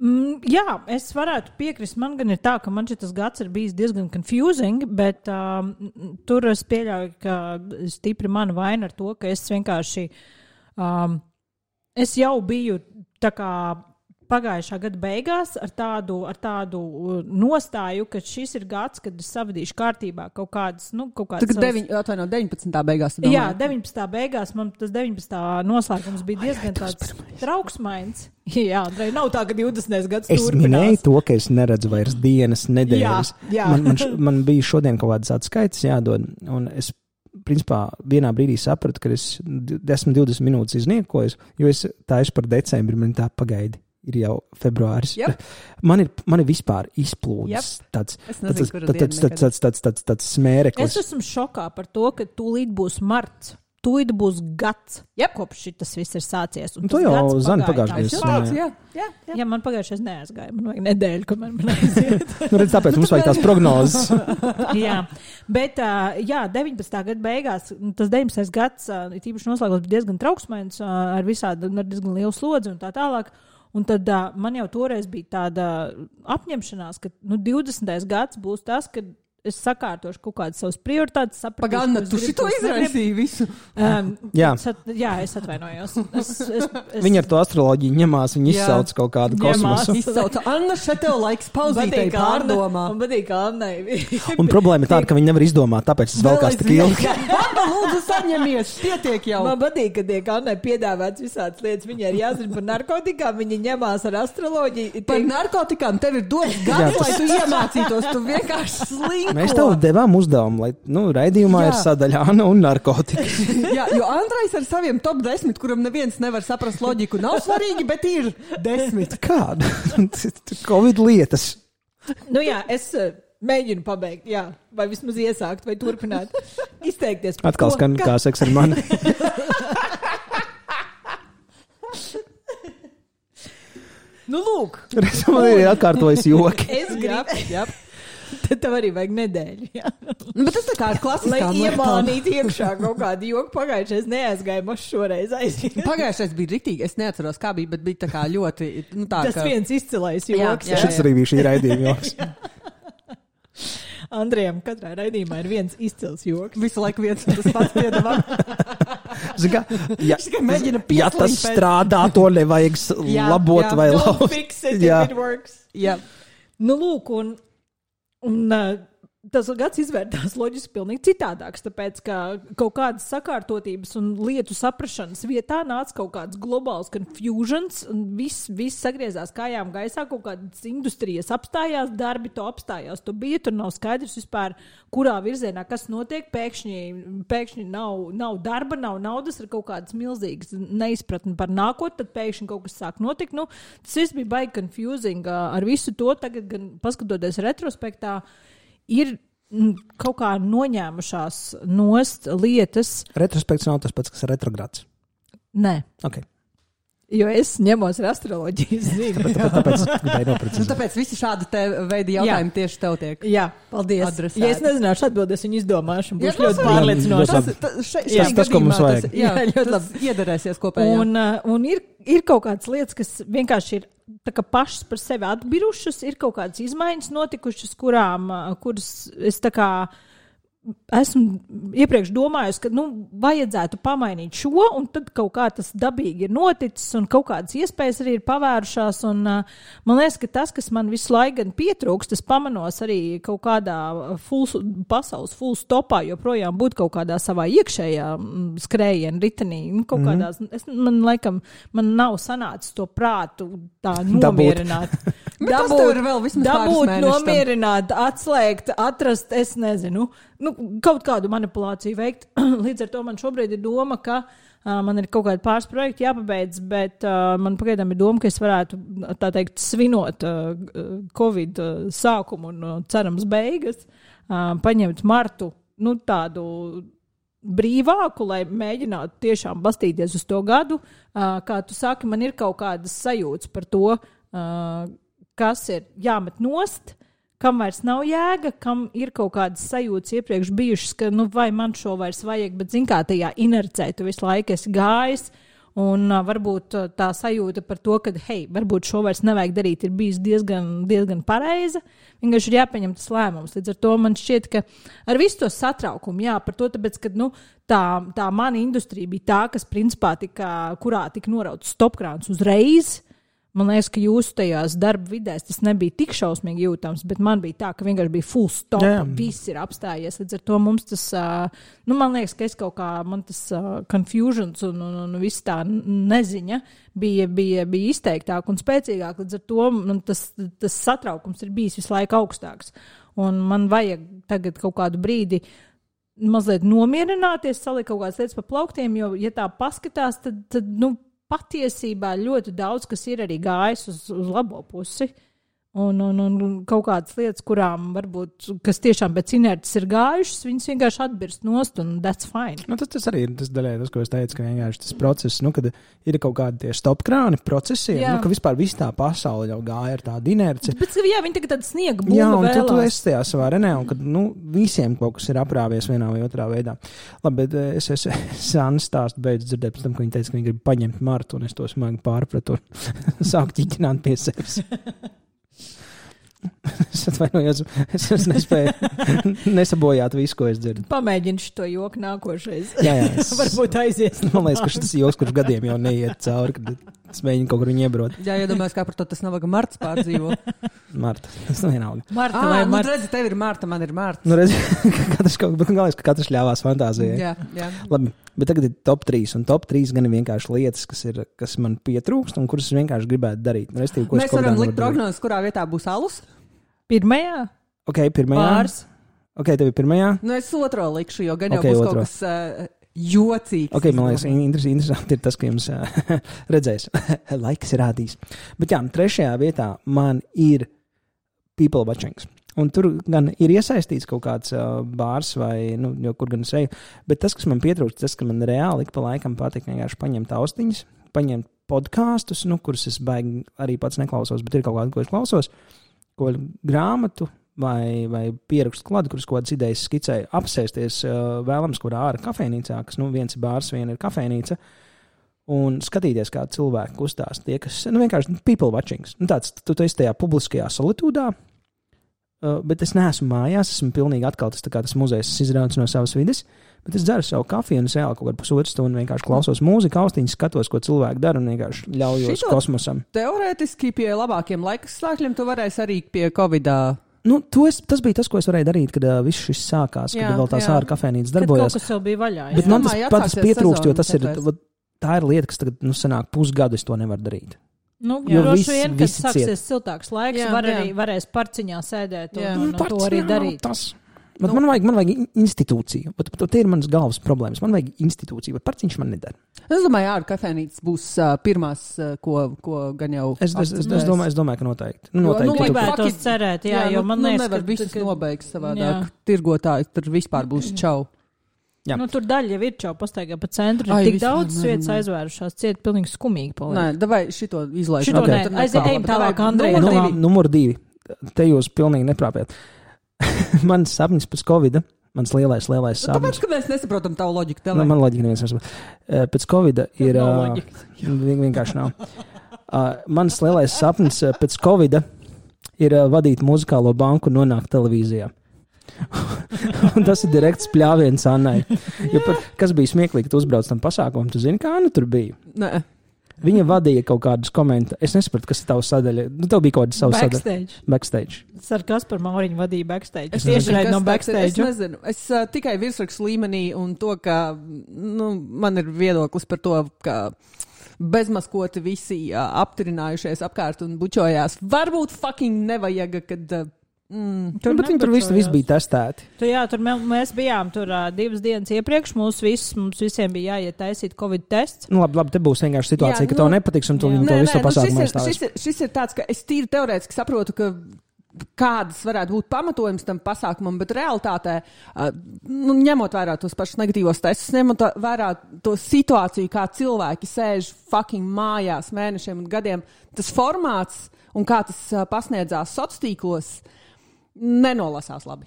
Mm, jā, es varētu piekrist. Man gan ir tā, ka man šis gads ir bijis diezgan confusing, bet um, tur es pieļauju, ka stipri mana vaina ar to, ka es vienkārši, um, es jau biju tā kā pagājušā gada beigās ar tādu, ar tādu nostāju, ka šis ir gads, kad es savadīšu kārtībā kaut kādas, nu, kaut kādas... Tagad deviņ, atvaino, deviņpadsmitā beigās. Domāju. Jā, deviņpadsmitā beigās man tas deviņpadsmitā noslēgums bija diezgan tāds trauksmains. Jā, Andrej, nav tā, ka divdesmitais gads es turpinās. Es minēju to, ka es neredzu vairs dienas, nedēļas. Jā, jā. Man, man, š, man bija šodien kaut kādas atskaites jādod, un es principā vienā brīdī sapratu, ka es desmit divdesmit minūtes izniekoju, jo es taisu par decembri, man tā pagaidi. Ir jau februāris. Yep. Man ir, man ir vispār izplūdes Yep. tāds, nezinu, tāds, kuru tāds, dienu tāds, tāds, tāds, tāds, tāds smēreklis. Es esmu šokā par to, ka tūlīt būs marts. Tūlīt būs gads, yep. kopš šitas viss ir sācies. Un to jau Zana pagājušajā gadā. Jā, jā, jā. Jā, man pagājušais neaizgāja. Man vajag nedēļu, kamēr man aiziet. Nu, redz, tāpēc mums vajag tās prognozes. Jā, bet jā, deviņpadsmitā gada beigās, tas deviņpadsmitais gads, tīpaši noslēgums bija diezgan trauksmains, ar visādi, ar diezgan lielu slodzi un tā tālāk. Un tad uh, man jau toreiz bija tāda apņemšanās, ka nu, divdesmitais gads būs tas, kad es sakārtošu kaut kādas savas prioritātes. Pagaidām, tu šito izraisīji visu. Um, jā. Es at, jā, es atvainojos. Es, es, es... Viņi ar to astroloģiju ņemās, viņi izsauc kaut kādu kosmosu. Izsauca, Anna, šeit tev laiks pauzītei pārdomā. Man patīk, ka Annai. Un problēma ir tāda, ka viņi nevar izdomāt, tāpēc es vēl kāds tik ilgi. Anna, lūdzu, saņemies, pietiek jau. Man patīk, ka tiek Annai piedāvāts visādas lietas. Viņai ir jāzina par narkotikām, viņi ņemās ar astroloģiju. Tiek... Par narkotikām tev ir dots gads, lai tu iemācītos, tu vienkārši slinko. Mēs tev devām uzdevumu, lai, nu, raidījumā jā. Ir sadaļa Anna un narkotika. Jā, jo Andrejs ar saviem top desmit, kuram neviens nevar saprast loģiku, nav svarīgi, bet ir desmit. Kāda? Covid lietas. Nu jā, es uh, mēģinu pabeigt, jā. Vai vismaz iesākt, vai turpināt. Izteikties. Atkal skan kā seks ar mani. Nu, lūk. Man ir atkārtojas joki. Es gribu. Jā. Tad tev arī vajag nedēļu. Jā. Nu, bet tas tā kā ar klasiskām lietām. Lai iemānītu iekšā kaut kādu joku. Pagājušais neaizgāja, mums šoreiz aiziet. Pagājušais bija riktīgi. Es neatceros, kā bija, bet bija tā kā ļoti... Nu, tā, tas ka... viens izcilais joks. Jā, jā, šis arī bija šī raidījuma joks. Andrejam katrā raidījumā ir viens izcils joks. Visu laiku viens tas pats piedāvā. Zika, ja, ja tas pēc... strādā, to nevajag jā, labot jā. Vai lauzt. Don't fix it jā. If it works. Jā. Nu, lūk, un... Un uh, tas gads izvērtās loģiski pilnīgi citādāks, tāpēc, ka kaut kādas sakārtotības un lietu saprašanas vietā nāca kaut kāds globāls confusions, un viss, viss sagriezās kājām gaisā, kaut kādas industrijas apstājās, darbi to apstājās, to bija, tur nav skaidrs vispār, kurā virzienā kas notiek, pēkšņi, pēkšņi nav, nav darba, nav naudas, ir kaut kādas milzīgas neizpratni par nākotni, tad pēkšņi kaut kas sāk notikt, nu, tas viss bija baigi confusing ar visu to, tagad gan paskatoties retrospektā, ir kaut kā noņēmušās nost lietas. Retrospekts nav tas pats, kas ir retrogrāds. Nē. Okay. Jo es ņemos ar astroloģijas zinu. Tāpēc, tāpēc, nu, tāpēc visi šādi te veidi jautājumi jā. Tieši tev tiek. Jā, paldies. Adresēti. Ja es nezināšu atbildes, viņu izdomāšu un būšu ļoti pārliecinoši. Tas, tas, tas, tas, tas, ko mums vajag. Tas, jā, jā, tas iederēsies kopējā. Un, un ir, ir kaut kādas lietas, kas vienkārši ir tā kā pašas par sevi atbirušas, ir kaut kādas izmaiņas notikušas, kurām, kuras es tā kā esmu iepriekš domājusi, ka, nu, vajadzētu pamainīt šo, un tad kaut kā tas dabīgi ir noticis, un kaut kādas iespējas arī ir pavērušās, un uh, man liekas, ka tas, kas man visu laiku gan pietrūkst, tas pamanos arī kaut kādā full, pasaules full stopā, joprojām būt kaut kādā savā iekšējā skrējiena ritenī, nu, kaut mm-hmm. kādās, es, man laikam, man nav sanācis to prātu tā nomierināt. dabūt, dabūt nomierināt, atslēgt, atrast, es nezinu, nu, kaut kādu manipulāciju veikt. Līdz ar to man šobrīd ir doma, ka uh, man ir kaut kādi pāris projekti jāpabeidz, bet uh, man pagaidām ir doma, ka es varētu, tā teikt, svinot uh, Covid uh, sākumu un uh, cerams beigas, uh, paņemt martu, nu, tādu brīvāku, lai mēģinātu tiešām bastīties uz to gadu. Uh, kā tu saki, man ir kaut kādas sajūtas par to, uh, kas ir jāmet nost, kam vairs nav jēga, kam ir kaut kādas sajūtas iepriekš bijušas, ka nu vai man šo vairs vajag, bet zin kā tajā inercē, tu visu laiku esi gājis, un uh, varbūt uh, tā sajūta par to, ka, hei, varbūt šo vairs nevajag darīt, ir bijis diezgan, diezgan pareiza. Vienkārši ir jāpieņem tas lēmums. Līdz ar to man šķiet, ka ar visu to satraukumu, jā, par to, tāpēc, ka, nu, tā, tā mana industrija bija tā, kas principā tika, kurā tika norauts stopkrāns uzreiz. Man liekas, ka jūsu tajās darba vidēs tas nebija tik šausmīgi jūtams, bet man bija tā, ka vienkārši bija full stop, yeah. Viss ir apstājies. Līdz ar to mums tas, uh, nu, man liekas, ka es kaut kā, man tas uh, confusions un, un, un viss tā neziņa bija, bija, bija izteiktāk un spēcīgāk. Līdz ar to man tas, tas satraukums ir bijis visu laiku augstāks. Un man vajag tagad kaut kādu brīdi mazliet nomierināties, salikt kaut kādas lietas pa plauktiem, jo, ja tā paskatās, tad, tad nu, patiesībā ļoti daudz, kas ir arī gājis uz, uz labo pusi. Un, un, un kaut kādas lietas, kurām varbūt, kas tiešām pēc inerces ir gājušas, viņas vienkārši atbirst nost, un that's fine. Nu, tas, tas arī ir tas daļai, tas, ko es teicu, ka vienkārši tas process, nu, kad ir kaut kādi tie stopkrāni procesiem, nu, ka vispār viss tā pasaule jau gāja ar tādu inerci. Bet, jā, viņi tagad tāda sniega bumba jā, un vēlās. tu, tu esi tajā savā renē, un kad, nu, visiem kaut kas ir aprāvies vienā vai otrā veidā. Labi, bet es, es, es Anna stāstu beidzu dzirdēt pēc tam, ka viņi teica, ka viņi grib paņemt Martu, un es to smagi pārpratu un sāku ķiķināt pie sevis. Es atvainojos, es, es nespēju nesabojāt visu, ko es dzirdu. Pamēģini šo joku nākošais. Jā, jā. Es, varbūt aizies. Man liekas, ka šis joks, kurš gadiem jau neiet cauri, kad es mēģinu kaut kur viņu iebrot. Jā, iedomājos, kā par to tas nav, ka Marts pārdzīvo. Marta, tas nav vienalga. Marta ah, vai nu, Marta? Redzi, tev ir Marta, man ir Marta. Nu, redzi, katrs kaut kas, galvenais, ka katrs ļāvās fantāzijai. Jā, jā. Labi, bet tagad ir top trīs, un top trīs gan ir vienkārši lietas, kas, ir, kas man pietrūkst, un kuras es vienkārši gribētu darīt. Restīvi, ko Mēs varam likt prognozes, kurā vietā būs alus? Pirmajā? Ok, pirmajā. Pārs. Ok, tev ir pirmajā? Nu, es otro likšu, jo gan jau okay, būs otro. Kaut kas uh, jocīgs. Ok, man liekas, interesanti ir tas, ka jums uh, redzēs. Laiks ir rādījis. Bet jā, trešajā vietā man ir people watchings. Un tur gan ir iesaistīts kaut kāds uh, bārs vai, nu, jo kur gan es eju. Bet tas, kas man pietrūkst, tas, ka man reāli ik pa laikam patīk vienkārši paņemt austiņas, paņemt podkāstus, nu, kurus es baigi arī pats neklausos, bet ir kaut kādi, ko es klausos. Ko grāmatu vai, vai pierakstu klādu, kuras kaut kādas idejas skicēju, apsēsties uh, vēlams, kurā ārā kafejnīcā, kas nu viens ir bārs, viena ir kafejnīca, un skatīties, kā cilvēki kustās. Tie, kas, nu vienkārši people watchings. Nu tāds, tu, tu esi tajā publiskajā solitūdā, uh, bet es neesmu mājās, esmu pilnīgi atkal tas, tā kā tas muzejs izrauts no savas vides, bet es dzeru savu kafiju un es reāli kaut kādu pusotru stundu vienkārši klausos mūziku, austiņas, skatos, ko cilvēki dara un vienkārši ļaujos Šito kosmosam. Teorētiski pie labākiem laikstākļiem tu varēsi arī pie Covidā. Nu, es, tas bija tas, ko es varēju darīt, kad uh, viss šis sākās, jā, kad vēl tās ārā kafejnīcas darbojās. Kad kaut kas jau bija vaļā. Jā. Bet man tas pats pietrūkst, jo tas ir, tā ir lieta, kas tagad, nu, sanāk pusgadu es to nevaru darīt. Nu, jo droši vien, kad sāksies siltāks laiks, jā, var arī, varēs parciņā sēdēt un, un, un to arī darīt. Tas. Bet nu, man, vajag, man vajag institūciju. Bet, bet, tie ir manas galvas problēmas. Man vajag institūciju, bet parciņš man nedara. Es domāju, ārā kafejnīcas būs uh, pirmās, uh, ko, ko gan jau... Es, es, es, es, domāju, es domāju, ka noteikti. Nu, noteikti nu, gribētu tos cerēt, jā, jā, jo man nu, liekas, nevar ka... visus nobeigt savādāk. Tirgotāji, tur vispār būs čau. Jā. Nu, tur daļa jau ir čau pastaigā pa centru. Ai, tik daudz vietas aizvērušās, ciet pilnīgi skumīgi paliek. Nē, davai šito izlaižu. Šito okay. ne, aizējam tālāk, Andrej. Numur divi. Numur divi. Te jūs pilnīgi neprāpjat. Mans sapnis pēc Covida. Mans lielais, lielais sapnis. Tāpēc, ka mēs nesaprotam tavu loģiku. Nu, man loģika neviens nesaprot. Uh, pēc Covida ir... Uh, vienkārši nav. Uh, mans lielais sapnis uh, pēc Covida ir uh, vadīt muzikālo banku un nonākt televīzijā. Un tas ir direkts pļāviens Annai. Jo par, kas bija smieklīgi, tu uzbrauc tam pasākumam, tu zini, kā Anna tur bija? Nē. Viņa vadīja kaut kādus komentārus. Es nesapratu, kas ir tavs sadaļa. Nu, tev bija kaut kāda savs sadaļa. Backstage. Backstage. Ar Kasparu Mauriņu vadīja backstage. Es tieši redzu no backstage. Es nezinu. Es uh, tikai virsrakstu līmenī un to, ka nu, man ir viedoklis par to, ka bezmaskoti visi uh, apturinājušies apkārt un bučojās. Varbūt fucking nevajag, kad... Uh, Mm. Tur, bet viņi tur visi, visi bija testēti. Tu, jā, tur mē, mēs bijām tur uh, divas dienas iepriekš. Mums, visus, mums visiem bija jāiet taisīt Covid tests. Nu, labi, labi, te būs vienkārši situācija, jā, ka nu, to nepatiks un tu viņu to visu pasākumu nu, aizstāvēs. Šis, šis ir tāds, ka es tīri teorētiski saprotu, ka kādas varētu būt pamatojums tam pasākumam, bet realitātē, uh, nu, ņemot vērā tos pašus negatīvos testus, ņemot vērā to situāciju, kā cilvēki sēž fucking mājās mēnešiem un gadiem, tas formāts un kā tas uh, pasniedzās sociālos tīklos, nenolasās labi.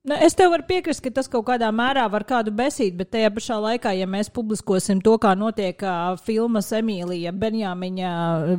Nu, es tev varu piekrist, ka tas kaut kādā mērā var kādu besīt, bet tajā pašā laikā, ja mēs publiskosim to, kā notiek uh, filmas Emīlija Benjāmiņa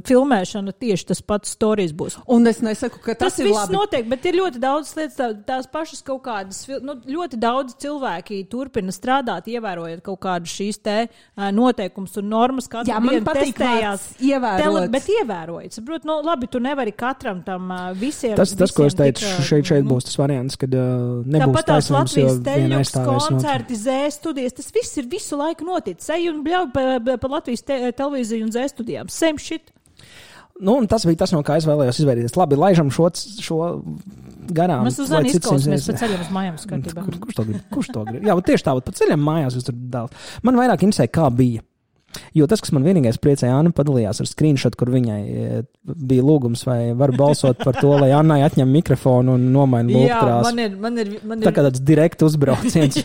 filmēšana, tieši tas pats stories būs. Un es nesaku, ka tas, tas ir labi. Tas viss notiek, bet ir ļoti daudz lietas, tā, tās pašas kaut kādas, nu, ļoti daudz cilvēki turpina strādāt, ievērojot kaut kādas šīs te uh, noteikums un normas, katru Jā, dienu patīk testējās. Ievērot. Tele, bet ievērojot. Saprot, nu, labi, tu nevari katram tam uh, visiem. Tas, tas visiem ko es teicu, tika, šeit, šeit nu, būs tas variants, kad uh, nebūs tāpat tās taisnības, Latvijas teļuks, koncerti, not... zē studijas, tas viss ir visu laiku noticis. Ej un bļauj pa, pa Latvijas te, televīziju un zē studijām. Same shit. Nu, un tas bija tas, no kā es vēlējos izvairīties. Labi, laižam šo, šo garām. Mēs uz Zani izklausāmies pa ceļam uz mājām skatībā. Kur, kurš to grib? Kurš to grib? Jā, bet tieši tāpat pa ceļam mājās jūs tur dālt. Man vairāk interesē, kā bija. Jo tas, kas man vienīgais priecēja, Anna padalījās ar screenshot, kur viņai bija lūgums, vai var balsot par to, lai Annai atņem mikrofonu un nomaina lūgkrāsu. Jā, man ir, man ir, man ir... Tā kā tāds direkt uzbrauciens.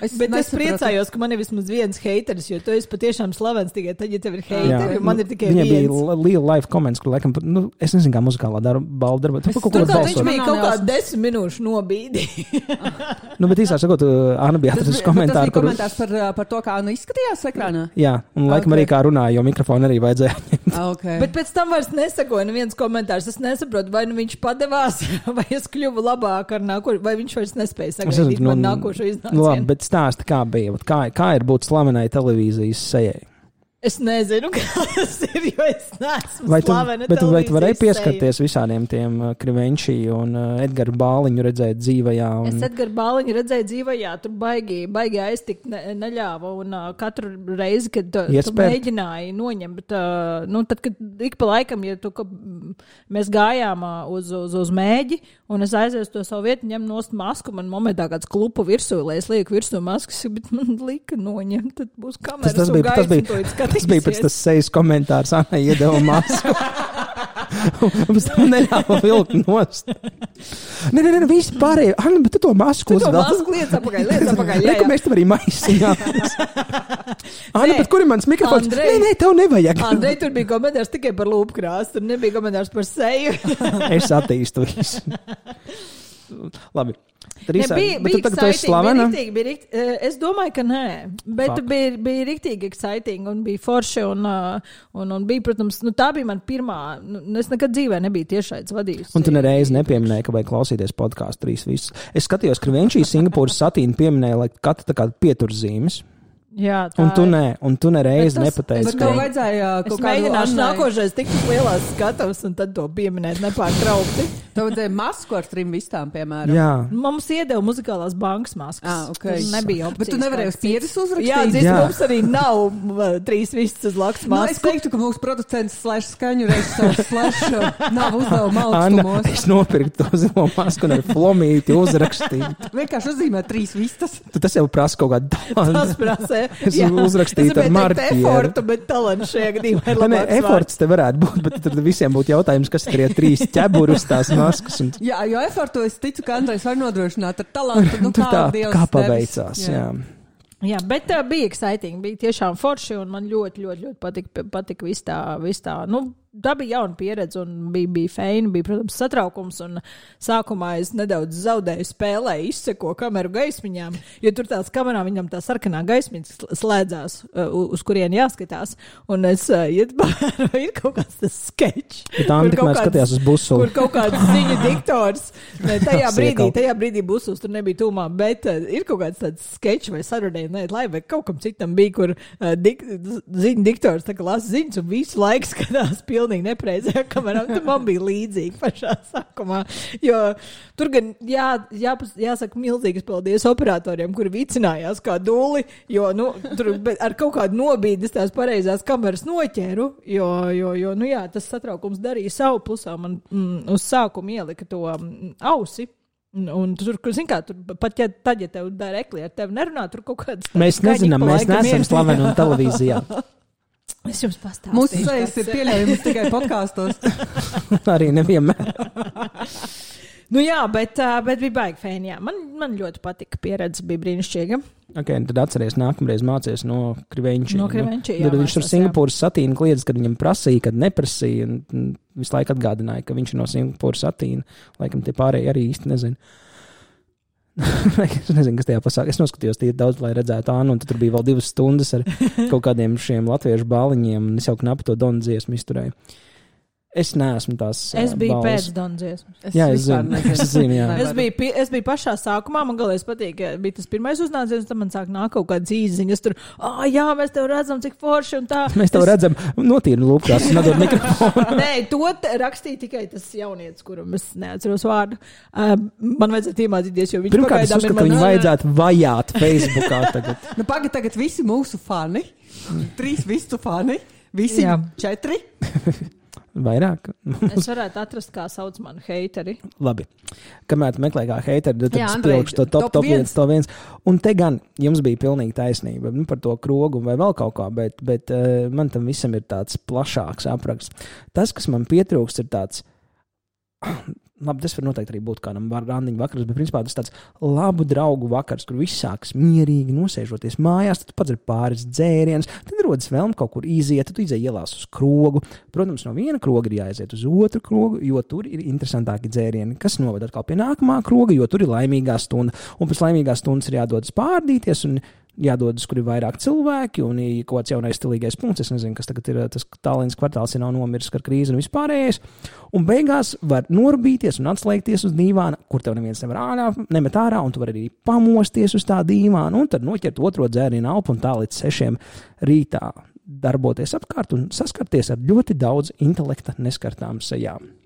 es Bet es priecājos, ka man ir vismaz viens heiteris, jo tu esi patiešām slavens tikai tad, ja tev ir heiteri, man ir tikai Viņai viens. Viņai bija liela live comments, kur laikam, nu, es nezinu, kā muzikālā darba, balda darba. Tu kaut ko balsot. Viņš bija kaut kāds desmit minūšu nobīdi. nu, bet īsā sakot, Anna bija atrasis komentāru, kur... komentārs par, par to, kā Anna izskatījās ekrānā? Jā, un laikam okay. arī kā runāja, jo mikrofonu arī vajadzēja ņemt. Okay. Bet pēc tam vairs nesakoja neviens komentārs. Es nesaprotu, vai nu viņš padevās, vai es kļuvu labāk ar nākošo, vai viņš vairs nespēja sagaidīt man nākošo iznācienu. Nu, labi, bet stāsti, kā bija, kā, kā ir būt slavenai televīzijas sejai? Es nezinu, kā tas ir, jo es neesmu vai tu, slavena bet, televīzijas vai tu varēji pieskarties seju. Visādiem tiem uh, Krivenčī un uh, Edgaru Bāliņu redzēt dzīvajā? Un... Es Edgaru Bāliņu redzēju dzīvajā, tur baigi, baigi aiztikt ne, neļāva un uh, katru reizi, kad uh, tu mēģināji noņemt, bet uh, nu, tad, kad ik pa laikam, ja tu, ka, mēs gājām uh, uz, uz, uz mēģi un es aizēju to savu vietu, ņem nost masku, man momentā kāds klupu virsū, lai es lieku virsū maskas, bet man lika noņemt, tad būs kameras tas, tas un bija, gaisa. Tas bija, tas bija pēc tas sejas komentārs, Anna iedeva masku. Un pēc tam neļāva vilkt nost. Nē, nē, nē, visi pārējie. Anna, bet tu to masku uzvelk. Tu to masku liec apakaļ, liec apakaļ. Jā, jā. Mēs tev arī maisiņā. Anna, bet kur ir mans mikrofons? Andrej, nē, nē, tev nevajag. Andrej, tur bija komentārs tikai par lūpkrāsu, tur nebija komentārs par seju. Es attīstu visu. Labi. Ja, bija bija exciting, bija bija rikt, es domāju, ka nē, bet Fuck. bija, bija riktīgi exciting un bija forši un, un, un bija, protams, nu, tā bija man pirmā, nu, es nekad dzīvē nebiju tiešaids vadījusi. Un tu nereiz nepieminēji, ka vajag klausīties podkāstu trīs visus. Es skatījos, ka Krivenčī Singapūras satīna pieminēja, lai katra tā kā pieturzīmes. Jā, un tu ne, un tu nereiz nepateici. Bet tev vajadzēja kaut kādu mēģināšu nākošais tik lielās skatavas un tad to pieminēt nepārtraukti. Tev vajadzēja masku ar trim vistām, piemēram. Jā. Mums iedeva muzikālās bankas maskas. Ah, okay. Tas nebija opcijas. Bet tu nevarēji uz pieres uzrakstīt? Jā, dzis, mums arī nav uh, trīs vistas uz laktas maskas. Nu, es teiktu, ka mūsu producents slash skaņu režisors slash nav uzdevuma augstumos. Anna, es nopirku to zilo masku un ar flomīti uzrakstīju. Vienkārši uzzīmē trīs vistas. Tu tas jau prasa kaut kādu talantu. Tas prasa. Es uzrakstīju ar marķieru. Efortu, bet talants šajā gadījumā ir labāks vārds. Eforts te varētu būt, bet tad visiem būtu jautājums, kas ir trīs ķeburus tās maskas. Un... Jā, jo efortu es ticu, ka Andrejs var nodrošināt ar talantu. Nu, kā, tā, Dievs kā paveicās, jā. jā. Jā, bet uh, bija exciting, bija tiešām forši un man ļoti, ļoti, ļoti patika, patika viss tā, viss tā, nu, tā bija jauna pieredze un bija, bija feini, bija, protams, satraukums un sākumā es nedaudz zaudēju spēlē, izseko kameru gaismiņām, jo tur tās kamerā viņam tā sarkanā gaismiņa slēdzās, uh, uz kurien jāskatās, un es uh, ietbāru, ir kaut kāds tas sketch. Bet tā tikmēr skatījās uz busuli. Kur kaut kāds ziņu diktors, ne, tajā brīdī, tajā brīdī busuls tur nebija tūmā, bet uh, ir kaut kāds tāds sketch vai sarunē, ne, lai vai kaut kam citam bija, kur uh, dik, ziņu diktors tā kā lasa ziņas un visu laiku skatās pilnīgi pilnīgi nepreizajā kamerā. Tur man bija līdzīgi pašā sākumā. Jo tur gan jā, jā, jāsaka milzīgas paldies operatoriem, kuri vicinājās kā duli, jo nu, tur ar kaut kādu nobīdes tās pareizās kameras noķēru, jo, jo, jo nu jā, tas satraukums darīja savu plusā. Man mm, uz sākumu ielika to mm, ausi. Un, un tur, zin kā, tur pat ja tad, ja tev dara ekli, ar tevi nerunā, tur kaut kādas... Mēs nezinām, mēs neesam slaveni un televīzijā. Es jums pastāstīšu. Mūsu sejas ir pieļaujams tikai podkāstos. Arī nevienmēr. Nu jā, bet, bet bija baigi fēni, jā. Man, man ļoti patika, pieredze bija brīnišķīga. Ok, tad atceries nākamreiz mācies no Krivenči. No Krivenči, jā. Tad viņš tur Singapūras satīna kliedz, kad viņam prasīja, kad neprasīja, un visu laiku atgādināja, ka viņš ir no Singapūras satīna. Laikam tie pārējie arī īsti nezinu. Es nezinu, kas tajā pasāk. Es noskatījos tie daudz, lai redzētu Ānu, un tur bija vēl divas stundas ar kaut kādiem šiem latviešu bāliņiem, un es jau knapi to Donu dziesmu izturēju. Es neesmu tās Es biju balvas. pēc Dondziesmas. Jā, es zinu. Es zinu, jā. Es biju, pie, es biju pašā sākumā, man galēs patīk, ka bija tas pirmais uznāciens, un tad man sāk nāk kaut kādas īziņas tur, ah, jā, mēs tev redzam, cik forši un tā. Mēs tev es... redzam, notīri lūpkās, nedod mikrofonu. Nē, to rakstīja tikai tas jaunietis, kuram es neatceros vārdu. Uh, man vajadzētu iemācīties, jo viņš Pirmkārt, es uzskatu, ka viņu vajadzētu vajāt Facebookā tagad. Nu, pagaid tagad visi mūsu fani, trīs visu fani, visi jā. Četri. Vairāk. Es varētu atrast, kā sauc manu heiteri. Labi. Kamēr tu meklē kā heiteri, tad jā, es pielikšu to top, top, top viens, to viens. Un te gan jums bija pilnīgi taisnība nu, par to krogu vai vēl kaut kā, bet, bet uh, man tam visam ir tāds plašāks apraksts. Tas, kas man pietrūkst, ir tāds... Labi, tas var noteikti arī būt kādam randiņu vakars, bet principā tas tāds labu draugu vakars, kur viss sāks mierīgi nosēžoties mājās, tad tu pats ir pāris dzēriens, tad rodas vēlme kaut kur iziet, tad tu izēj ielās uz krogu. Protams, no viena kroga ir jāaiziet uz otru krogu, jo tur ir interesantāki dzērieni, kas noved atkal pie nākamā kroga, jo tur ir laimīgā stunda. Un pēc laimīgās stundas ir jādodas pārdīties un jādodas, kur ir vairāk cilvēki un ir kaut kāds jaunais stilīgais punkts. Es nezinu, kas tagad ir tas Tallinas kvartāls, ja nav nomiris ar krīzi un vispārējais. Un beigās var norbīties un atslēgties uz dīvāna, kur tev neviens nevar ārā, nemet ārā, un tu vari arī pamosties uz tā dīvāna, un tad noķert otro dzērienu alpu un tā līdz sešiem rītā darboties apkārt un saskarties ar ļoti daudz intelekta neskartām sejām.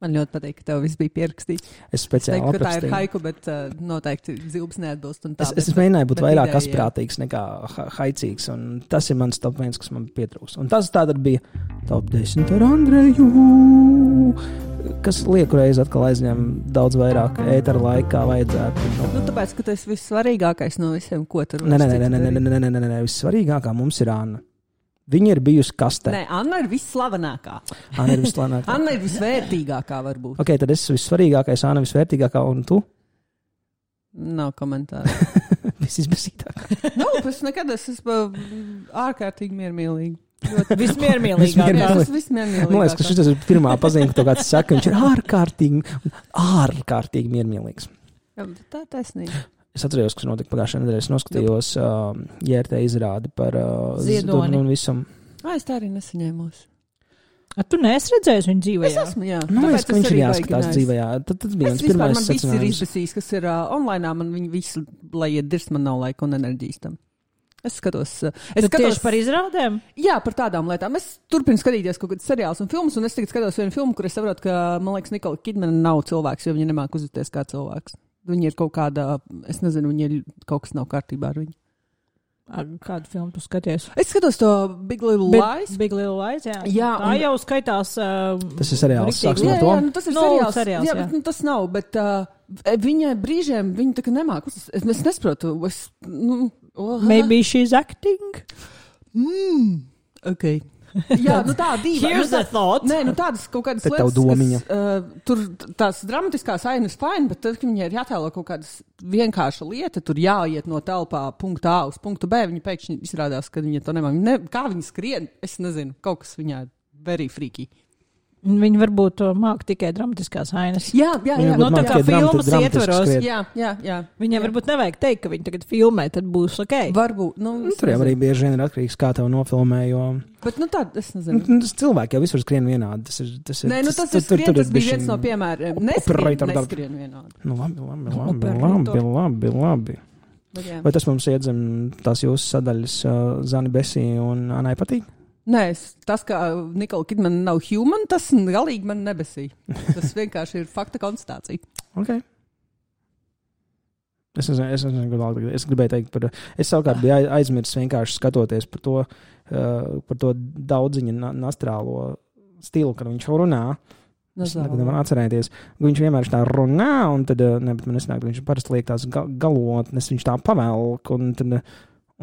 Man ļoti patīk, ka tev viss bija pierakstīts. Es speciāli aprakstīju. Tā aprakstīju. ir haiku, bet uh, noteikti zilbs neatbilst. Un tā, es, es bet, mēģināju būt vairāk ideja, asprātīgs nekā ha haicīgs, un tas ir mans top viens, kas man pietrūkst. Un tas tātad bija top desmit ar Andreju, kas lieku reizi atkal aizņem daudz vairāk ētera laikā vajadzētu. Nu, nu tāpēc, ka tas vissvarīgākais no visiem, ko tur Nē, nē, nē, nē, nē, nē, nē, nē, nē, vissvarīgākā mums ir Anna. Viņa ir bijusi kastē. Nē, Anna ir visslavenākā. Anna ir visslavenākā. Anna ir visvērtīgākā, varbūt. Ok, tad es esmu visvarīgākais, Anna visvērtīgākā, un tu? Nav komentāru. Visizbasītākā. Nu, es nekad es esmu ārkārtīgi miermīlīgi. Vismiermīlīgākā. Tas vismiermīlīgākā. Man liekas, ka šis ir pirmā pazīme, ka to kāds saka, viņš ir ārkārtīgi, ārkārtīgi miermīlīgs. Jā, tā ir taisnība. Es atceros, kas notika pagājušajā nedēļā. Es noskatījos uh, J R T izrādi par uh, Ziedoni un visam. Ā, es tā arī nesaņēmos. A, tu neesi redzējis viņu dzīvē? Es esmu, jā. Nu, Tāpēc es, ka viņš ir jāskatās dzīvē. Tad, tad bija es viens vispār, pirmais man viss ir secinājums. izbasījis, kas ir uh, online, man viņi visi, lai iet dirst, man nav laika un enerģijas tam. Es skatos, uh, es Tu skatos tieši par izrādēm? Jā, par tādām lietām. Es turpinu skatīties kaut kādus seriālus un filmus, un es tagad skatos vienu filmu, kur es saprotu, ka, man liekas, Nikola Kidmana nav cilvēks, jo viņa nemāk uzvesties kā cilvēks. Viņa ir kaut kāda, es nezinu, viņa ir kaut kas nav kārtībā ar viņu. Ar kādu filmu tu skaties? Es skatos to Big Little Big, Lies. Big Little Lies, jā. Jā, tā un... jau skaitās. Uh, Tas ir seriāls, riktīgi. sāksim Jā, ar to. jā, nu tas ir No, seriāls. seriāls, jā, jā. bet nu, tas nav, bet uh, viņa brīžiem, viņa tā kā nemāk. Es, es nesaprotu. Es, nu, oh, Maybe she's acting? Mm, ok. Jā, nu tā dīva. Here's nu, tā, the thought. Nē, nu tādas kaut kādas Te tev lietas, domiņa. kas, uh, tur tās dramatiskās ainas fine, bet tad, kad viņai ir jātēlo kaut kādas vienkārša lieta, tur jāiet no telpā punktu A uz punktu B, viņa pēkšņi izrādās, ka viņa to nemāk. Ne, kā viņa skrien, es nezinu, kaut kas viņā very freaky. Viņi varbūt māk tikai dramatiskās ainas. Jā, jā, jā. Viņa No varbūt tā māk kā tikai dramati- filmas dramatiski ietvaros. skriet. Jā, jā, jā. Viņai jā. varbūt nevajag teikt, ka viņi tagad filmē, tad būs ok. Varbūt. Nu, Nu, es tur jau nezinu. arī bieži vien ir atkarīgs, kā tev nofilmē, jo Bet, nu tā, es nu, nezinu. tas cilvēki jau visur skrien vienādi. Tas ir, tas ir, Nē, nu tas, tur- tas, tur- skrien, tur ir tas bija bišķiņ- viens no piemēriem. Neskrien, Operator darb- neskrien vienādi. Nu, labi, labi, labi, Operator. labi, labi, labi. Bet, jā. Vai tas mums iedzem tās jūsu sadaļas uh, Zani Besī un Anai patīk? Nē, tas, ka Nikola Kidman nav human, tas galīgi man nebesīja. Tas vienkārši ir fakta konstatācija. Ok. Es, nezinu, es, nezinu, es gribēju teikt par... Es savukārt biju aizmirsis vienkārši skatoties par to, uh, par to daudziņa nastrālo stilu, kad viņš runā. Es nevaru atcerēties. Viņš vienmēr tā runā, un tad, ne, bet man nesnāk, viņš parasti liek tās galotnes, viņš tā pavelk, un tad...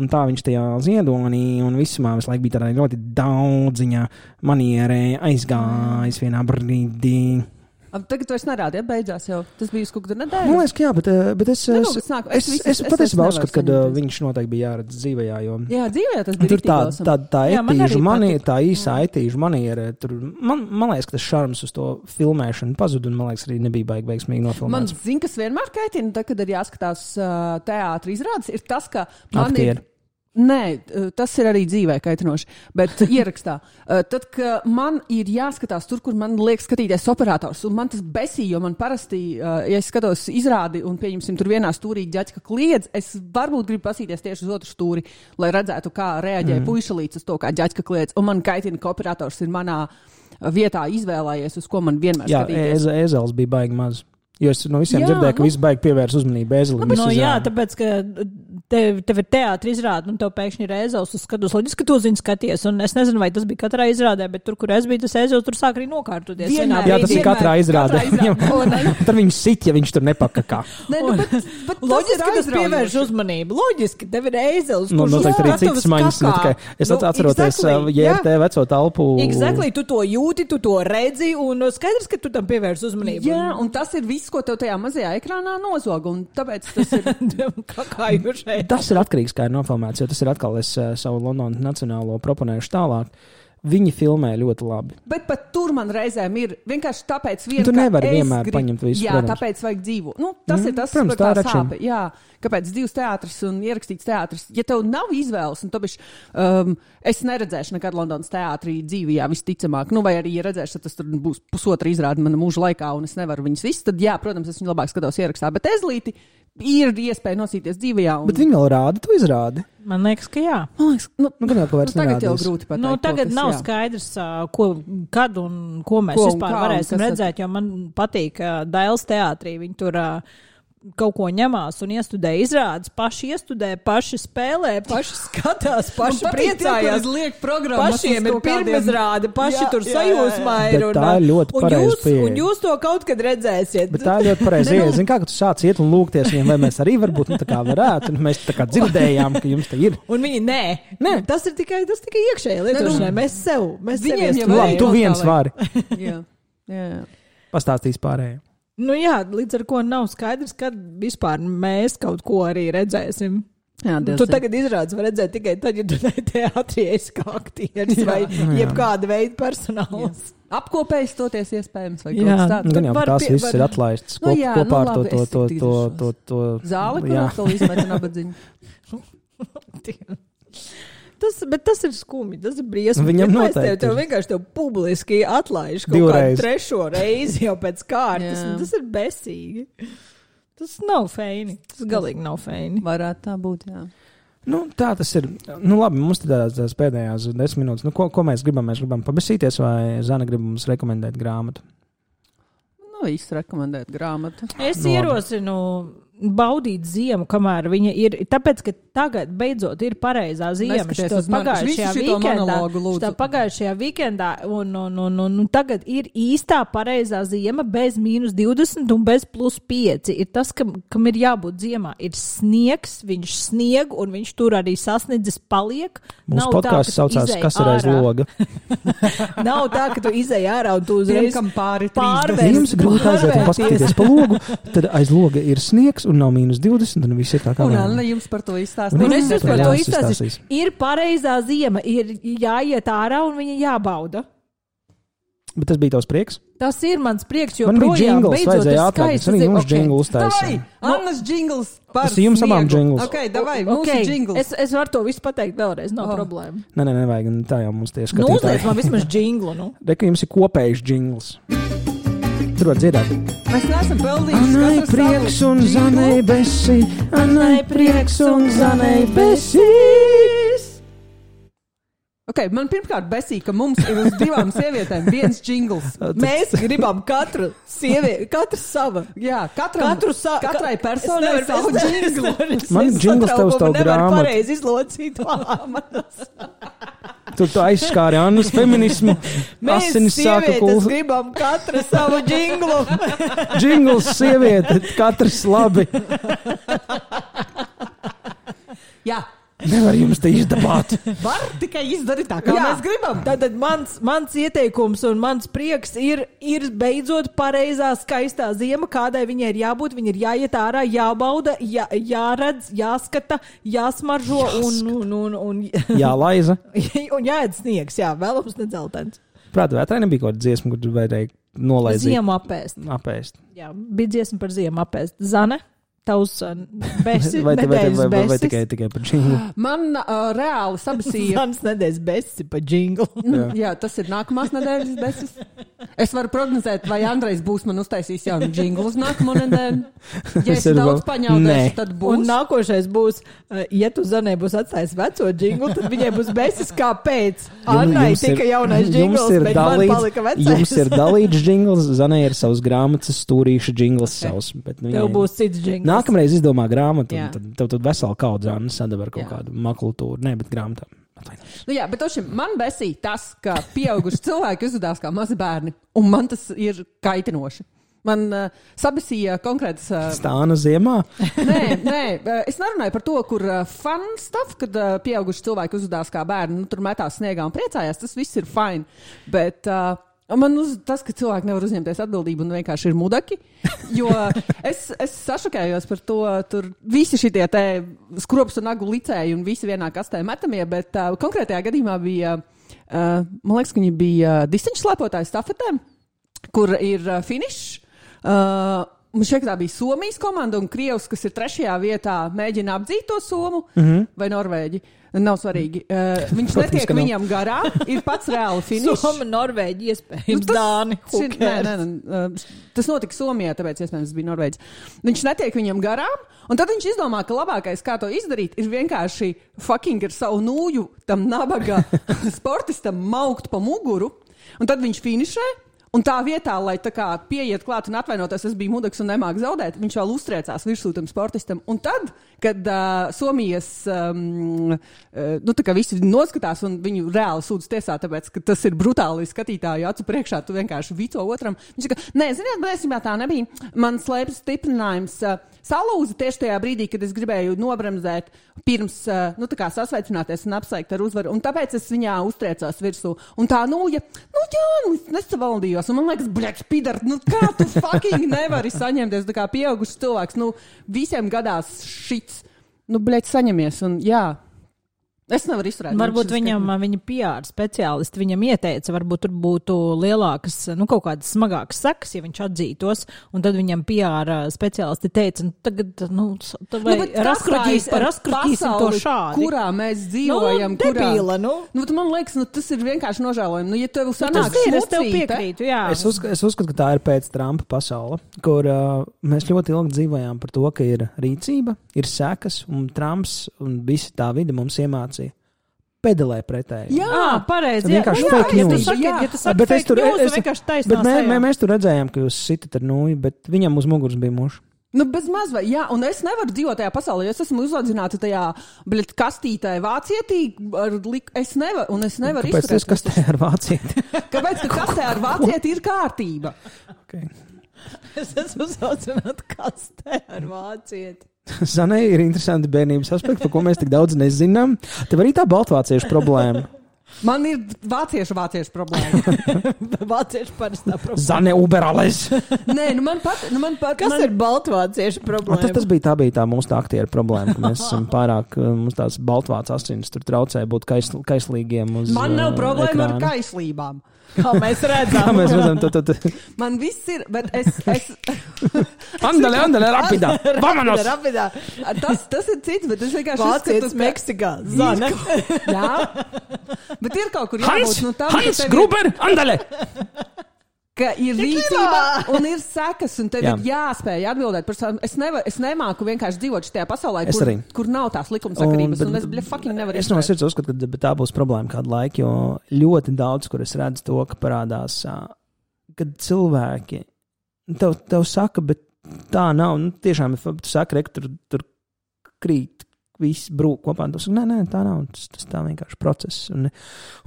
Un tā viņš tajā ziedonī un visumā visu laiku bija tādā ļoti daudziņa manierē aizgājis vienā brīdī. Tagad vairs nerādi, ja beidzās jau. Tas bija uz kaut kādu nedēļu. Man liekas, ka jā, bet, bet es, Nenu, es, es, es, es, es patiesībā uzskatu, ka uh, viņš noteikti bija jāredz dzīvējā, jo... Jā, dzīvējā tas bija tur tā, tā, tā etīžu maniera, tā īsā jā. etīžu maniera, tur, man, man liekas, ka tas šarms uz to filmēšanu pazuda, un man liekas, arī nebija baigi veiksmīgi nofilmēts. Man zin, kas vienmēr kaitina, tad, kad ir jāskatās uh, teātra izrādes, ir tas, ka man Aktieri. ir... Nē, tas ir arī dzīvē kaitinoši, bet ierakstā. Tad, kad man ir jāskatās tur, kur man liek skatīties operators, un man tas besī, jo man parasti, ja es skatos izrādi un pieņemsim tur vienā stūrī ģaķka kliedz, es varbūt gribu pasīties tieši uz otru stūri, lai redzētu, kā reaģē mm. puišalīts uz to, kā ģaķka kliedz, un man kaitina, ka operators ir manā vietā izvēlējies, uz ko man vienmēr jā, skatīties. Jā, ezels bija baigi maz. Jo es no visiem jā, dzirdēju, ka nu, visi baigi pievērs uzmanību ezelim. Nu, no, jā, tāpēc, ka tev, tev ir teātra izrāde, un tev pēkšņi ir ezels uz skatus. Loģiski, ka tu zini skaties, un es nezinu, vai tas bija katrā izrādē, bet tur, kur es biju, tas ezels tur sāk arī nokārtoties. Vienmēr, jā, tas ir katrā izrādē. Tad viņš sit, ja viņš tur nepakakā. Ne, nu, bet, bet loģiski, ka tas pievērš uzmanību. Loģiski, tev ir ezels. Nu, noteikti arī citas maņas. Es nu, atceroties exactly, J R T veco talpu. Exactly, tu to jūti, tu to redzi, un skaidrs, ka tu tam pievērš uzmanību. Jā, un tas ir viss, ko tev tajā mazajā ekrānā nozog, un tāpēc tas ir... Tas ir atkarīgs, kā ir nofilmēts, jo tas ir atkal es uh, savu Londonas nacionālo proponējuši tālāk. Viņi filmē ļoti labi. Bet pat tur man reizēm ir vienkārši tāpēc vien, tu nevari ka vienmēr grib... paņemt visu, jā, protams. Tāpēc vajag dzīvo. Nu, tas mm, ir tas, protams, tā tā sāpe. Jā, kāpēc divs teātris un ierakstīts teātris. Ja tev nav izvēles, un tāpēc um, es neredzēšu nekad Londonas teātrī dzīvijā visticamāk, nu vai arī, ja redzēšu, tad tas tur būs pusotra izrāde mana mūža laikā, un es nevaru viņus visus, tad jā, protams, es viņu labāk skatos ierakstā. Bet ezlīti ir iespēja nosīties dzīvajā. Un... Bet viņi vēl rāda, tu izrādi. Man liekas, ka jā. Man liekas, nu, nu, nu, tagad nerādīs. Jau grūti pateikt. Nu, tagad kas, nav jā. skaidrs, ko, kad un ko mēs ko vispār kā, varēsim redzēt, jo man patīk uh, Dailes teātrī. Viņi tur uh, kaut ko ņemās un iestudē izrādes, paši iestudē, paši spēlē, paši skatās, paši priecājās. Pašiem ir pirmizrāde, paši jā, tur sajūsmā ir. Un, tā ir ļoti pareizi pieeja. Un jūs to kaut kad redzēsiet. Bet tā ir ļoti pareizi pieeja. Zini, kā tu sāc iet un lūgties viņiem, vai mēs arī varbūt nu, tā kā varētu, un mēs tā kā dzirdējām, ka jums te ir. Un viņi, nē, nē. Tas ir tikai, tas tikai iekšēji lietošanai. Mēs sev, mēs sev iestudējam. Labi, tu viens vari. Jā, jā. Pastāstīs pārējiem. Nu jā, līdz ar ko nav skaidrs, kad vispār mēs kaut ko arī redzēsim. Jā, tu tagad izrādes var redzēt tikai tad, ja tu teātrī esi kā aktieris vai jebkāda veida personāls. Jā. Apkopējis toties iespējams vai jā, kaut kas tāds. Gan jau tās viss var... ir atlaists nu, jā, kopā nu, ar to, to, to, to, to, to... Zāli, kur atkal izmeta nabadziņu. Tas, bet tas ir skumji, tas ir briesmīgi. Viņam noteikti. Tev, tev vienkārši tev publiski atlaiž kaut Divreiz. kādu trešo reizi jau pēc kārtas. Tas ir besīgi. Tas nav feini. Tas galīgi nav feini. Varētu tā būt, jā. Nu, tā tas ir. Nu, labi, mums tad tās, tās pēdējās desmit minūtes. Nu, ko, ko mēs gribam? Mēs gribam pabesīties vai Zana grib mums rekomendēt grāmatu? Nu, īsti rekomendēt grāmatu. Es nu, ierosinu baudīt ziemu, kamēr viņa ir. Tāpēc, ka tagad beidzot ir pareizā ziema. Šitā pagājušajā vikendā, šitā pagājušajā vikendā un, un, un, un, un tagad ir īstā pareizā ziema bez mīnus divdesmit un bez plus pieci. Ir tas, kam, kam ir jābūt ziemā. Ir sniegs, viņš snieg un viņš tur arī sasniedzis paliek. Mūsu podkāsts saucās, kas ir aiz loga. Nav tā, ka tu izej ārā un tu uzreiz pārvērst. Jums grūti aiziet un paskatīties pa logu, tad aiz loga ir sniegs un nav mīnus divdesmit, un viss ir tā kā un Anna jums par to izstāstīs. Un es jums par to izstāstīšu. Ir pareizā ziema, ir jāiet ārā un viņa jābauda. Bet tas bija tavs prieks? Tas ir mans prieks, jo man bija džingls, vajadzēja atlaist. Arī jums džinglu uztaisīja. Davai, Annas džingls par sniegu. Jums abām džingls. Ok, davai, mūsu okay. džingls. Es, es varu to visu pateikt vēlreiz, nav oh. problēma. Nē, nē, nevajag, tā jau mums tieši skatītāji. Nu, uzliec man vismaz džinglu, nu. Reka, jums ir kopējs džingls. Tur var dzirdēt. Mēs neesam pelnījuši. Anai prieks un Zanai besi, Anai prieks un Zanai besīs. Ok, ok, man pirmkārt besīja, ka mums ir uz divām sievietēm viens džingls. Mēs gribam katru sievieti, katru sava. Jā, katram, katru sa katrai personai savu džinglu. Man džingls tev uz tavu grāmatu. Nevar pareizi izlocīt vārmanas. Tur tu aizskāri Annas feminismu. Mēs sievietes gribam katru savu džinglu. Džingls sieviete, katrs labi. Jā. Nevar jums te izdabāt. Var tikai izdarīt tā, kā Jā. mēs gribam. Tātad mans, mans ieteikums un mans prieks ir, ir beidzot pareizā skaistā ziema, kādai viņai ir jābūt. Viņa ir jāiet ārā, jābauda, jā, jāredz, jāskata, jāsmaržo un, un, un, un, jālaiza. Un jāēd sniegs, jā, vēlams nedzeltens. Prāt, vētrai nebija kaut kāda dziesma, kur vajadzēja nolaizīt. Ziemu apēst. Apēst. Jā, bija dziesma par ziemu apēst. Zane? Tavs besi, vai, vai, vai, vai, vai, vai besis. tikai, tikai par džinglu? Man uh, reāli sabasīja. Zanas nedēļas besi par džinglu. Jā. Jā, tas ir nākamās nedēļas besis. Es varu prognozēt, vai Andrejs būs man uztaisījis jaunu džinglu uz nākamo nedēļu. Ja es daudz paņaudēšu, tad būs. Un nākošais būs, ja tu Zanē būs atstājis veco džinglu, tad viņai būs besis kāpēc. Annai tika jaunais džingls, bet dalīts, man palika vecais. Jums ir dalīts džingls, Zanē ir savs grāmatas stūrīša džingls savs. Bet, nu, tev jā, būs cits džingls. Nākamreiz izdomā grāmatu, un tad tev tad vesela kaudz Anna sadaba ar kaut jā. Kādu makultūru. Nē, bet grāmatā. Nu jā, bet ošim, man besīja tas, ka pieauguši cilvēki uzvedās kā mazi bērni, un man tas ir kaitinoši. Man uh, sabesīja konkrētas... Uh, Stāna ziemā? nē, nē, uh, es nerunāju par to, kur uh, fun stuff, kad uh, pieauguši cilvēki uzvedās kā bērni, nu, tur metās sniegā un priecājās, tas viss ir fine, bet... Uh, Man uz tas, ka cilvēki nevar uzņemties atbildību un vienkārši ir mudaki, jo es, es sašokējos par to, tur visi šitie te skrops un nagu licēji un visi vienā kastē metamie, bet uh, konkrētajā gadījumā bija, uh, man liekas, ka viņi bija distaņu slēpotāju stafetēm, kur ir uh, finišs. Uh, Man šeit tā bija Somijas komanda un Krievs, kas ir trešajā vietā, mēģina apdzīt to Somu mm-hmm. vai Norvēģi. Nav svarīgi. Uh, viņš netiek viņam garā, ir pats reāli finišs. Soma, Norvēģi, iespējams, nu, tas, Dāni. Šir, nē, nē, nē, tas notika Somijā, tāpēc iespējams bija Norvēģis. Viņš netiek viņam garām, un tad viņš izdomā, ka labākais, kā to izdarīt, ir vienkārši fucking ar savu nūju tam nabaga sportistam maukt pa muguru, un tad viņš finišē. Un tā vietā, lai tā kā pieiet klāt un atvainoties, es biju mudaks un nemāk zaudēt, viņš vēl uztriecās virsū tam sportistam. Un tad, kad uh, Somijas, um, uh, nu tā kā visi noskatās un viņu reāli sūdz tiesā, tāpēc, ka tas ir brutāli skatītāju acu priekšā, tu vienkārši vico otram. Viņš saka, nē, ziniet, bēsībā tā nebija. Man slēpjas stiprinājums uh, salūza tieši tajā brīdī, kad es gribēju nobremzēt pirms, uh, nu tā kā sasveicināties un apsveikt ar uzvaru. Un tāpēc es viņā uztriecās virsū. Un tā nūja, nu jā, nu es nesavaldījos. Un man liekas, bļaķ, pidar, nu kā tu fucking nevari saņemties, tā kā pieaugušs cilvēks, nu visiem gadās šits, nu bļaķ, saņemies, un jā. Es nevaru izturēt. Varbūt viņam, viņa P R speciālisti viņam ieteica, varbūt tur būtu lielākas, nu kaut kādas smagākas sekas, ja viņš atzītos, un tad viņam P R speciālisti teica, nu tagad, nu, vai nu, raskruģīs, raskruģīsim to šādi. Kurā mēs dzīvojam, nu, debīla, kurā... Nu, nu, man liekas, nu, tas ir vienkārši nožēlojami. Nu, ja tev sanāk nu, šmucīte... Es tev piekrītu, jā. Es uzskatu, es uzskatu, ka tā ir pēc Trumpa pasaule, kur uh, mēs ļoti ilgi dzīvojām par to, ka ir rīcība, ir sekas, un Trumps un visi tā vide mums iemācīja. Pedalē pretēji. Jā, pareizi. Vienkārši jā, fake jā, news. Ja tu saki, jā. Ja tu saki bet fake es tur, news, es, vienkārši taisnās. Bet mē, mē, mēs tur redzējām, ka jūs sitat ar nūju, bet viņam uz muguras bija muši. Nu, bez maz vai, jā, un es nevaru dzīvot tajā pasaulē, jo es esmu uzaudzināta tajā, bļet, kastītē vācietī, ar lik, es nevaru, un es nevaru izturēt. Kāpēc tas kastē ar vācieti? Kāpēc, ka kastē ar vācieti ir kārtība? Okay. Es esmu uzaudzināta kastē ar vācieti. Zanai ir interesanti bērnības aspekti, par ko mēs tik daudz nezinām. Tev arī tā baltvāciešu problēma. Man ir vāciešu vāciešu problēma. Vāciešu parastā problēma. Zane Uberales. Nē, nu man pat... Nu man pat Kas man... ir baltvāciešu problēma? Tas, tas bija, tā bija tā mūsu tā aktieru problēma, ka mēs esam pārāk, mums tās baltvācu asins tur traucē būt kais, kaislīgiem uz Man nav problēma ekrāna. ar kaislībām. Kā mēs redzam. Kā mēs redzam, tu, tu, tu. Man viss ir, bet es... es... andale, andale, rapidā. Vamanos! Rapidā. Tas, tas ir cits, bet es vienkārši... Vācietis Meksikā. Zane. Jā. Bet ir kaut kur jābūt... Hans, nu, tam, Hans tevi... Gruber, andale! ka ir rīcība un ir sekas, un tev Jā. ir jāspēj atbildēt par savām. Es, nevar, es nemāku vienkārši dzīvot šajā pasaulē, kur, kur nav tās likumsakarības, un, bet, un es bļa fucking nevaru es no sirds uzskatu, ka tā būs problēma kādu laiku, jo ļoti daudz, kur es redzu to, ka parādās, kad cilvēki tev, tev saka, bet tā nav, nu tiešām, tu saka, re, tur, tur krīt. Viss brūk kopā, un tu saki, nē, nē, tā nav, tas, tas tā vienkārši process. Un,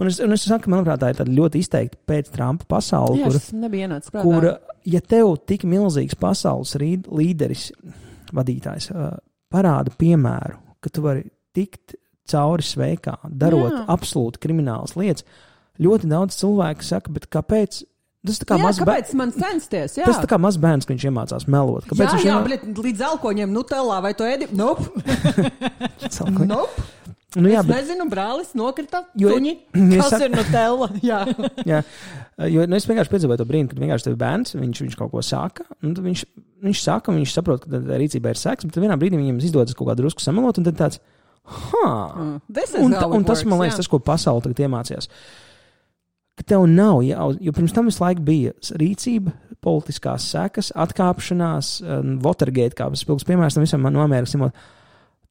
un, es, un es saku, manuprāt, tā ir tāda ļoti izteikti pēc Trumpa pasauli, Jā, kur, kur, ja tev tik milzīgs pasaules līderis, vadītājs, parāda piemēru, ka tu vari tikt cauri sveikā, darot Jā. absolūti kriminālas lietas, ļoti daudz cilvēku saka, bet kāpēc? Tas tā kā jā, maz kāpēc bērns. Man censties? Jā. Tas tā kā maz bērns, ka viņš iemācās melot. Kāpēc jā, viņš jā, iemā... bet līdz alkoņiem Nutellā vai tu ēdi? Nope. nope. Nu, jā, es bet... nezinu, brālis nokrita jo, suņi. Kas saka... ir Nutella? jā. jā. Jo nu, es vienkārši piedzīvoju to brīdi, kad vienkārši tev bērns, viņš, viņš kaut ko saka, un viņš, viņš saka, un viņš saprot, ka tā rīcība ir seks, bet vienā brīdī viņam izdodas kaut kādu drusku samelot, un tad tāds, ha! Mm, un, ta, un tas, man liekas, jā. tas, ko pasauli tagad iemācījās. Ka tev nav, jau, jo pirms tam visu laiku bija rīcība, politiskās sekas, atkāpšanās, um, Watergate, kā spilgs piemērs tam visam no Amerikas.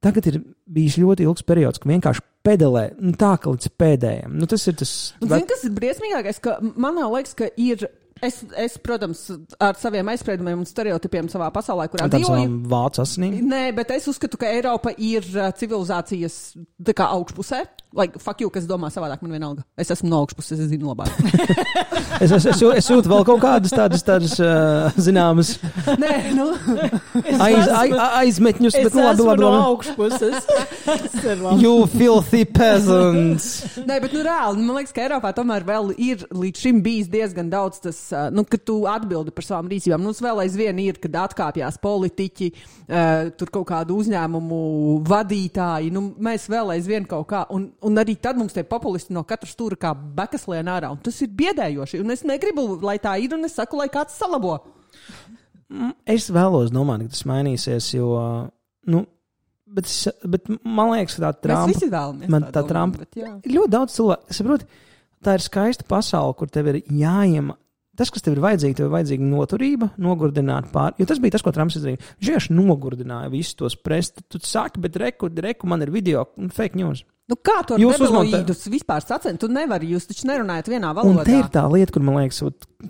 Tagad ir bijis ļoti ilgs periods, ka vienkārši pedalē, nu tā, ka līdz pēdējiem. Nu, tas ir tas... Un zini, kas ir briesmīgākais, ka man liekas, ka ir... Es, es, protams, ar saviem aizspriedumiem un stereotipiem savā pasaulē, kurā dzīvoju. Vācu asinīm? Nē, bet es uzskatu, ka Eiropa ir civilizācijas tā kā augšpusē. Like, fuck you, kas domā savādāk, man vienalga. Es esmu no augšpuses, es zinu labāk. es, es, es, es jūtu vēl kaut kādas tādas, tādas uh, zināmas Nē, nu. aiz, aiz, aizmetņus, bet nu labi, labi, labi. Es esmu no augšpuses. You filthy peasants. Nē, bet nu reāli, man liekas, ka Eiropā tomēr vēl ir līdz šim bijis diezgan daudz tas, nu, ka tu atbildi par savām rīcībām. Nu, vēl aizvien ir, kad atkāpjās politiķi, uh, tur kaut kādu uzņēmumu vadītāji, nu, mēs vēl aizvien kaut kā, un Un arī tad mums tie populisti no katra stūra kā bekas lien ārā. Un tas ir biedējoši. Un es negribu, lai tā ir, un es saku, lai kāds salabo. Es vēlos domāt, ka tas mainīsies, jo, nu, bet, bet man liekas, ka tā Trumpa... Mēs visi vēlamies man, tā tā domāt, Trumpa, bet jā. Ļoti daudz cilvēku, es saprotu, tā ir skaista pasaule, kur tev ir jāiem... Tas, kas tev ir vajadzīgi, tev ir vajadzīga noturība, nogurdināt pār... Jo tas bija tas, ko Trumps izdarīja. Viņš vienkārši nogurdināja visus tos presti. Tu saki, bet reku, reku man ir video, fake news. Nu kā tu ar debiloīdus vispār sacent? Tu nevari, jūs taču nerunājat vienā valodā. Un te ir tā lieta, kur man liekas,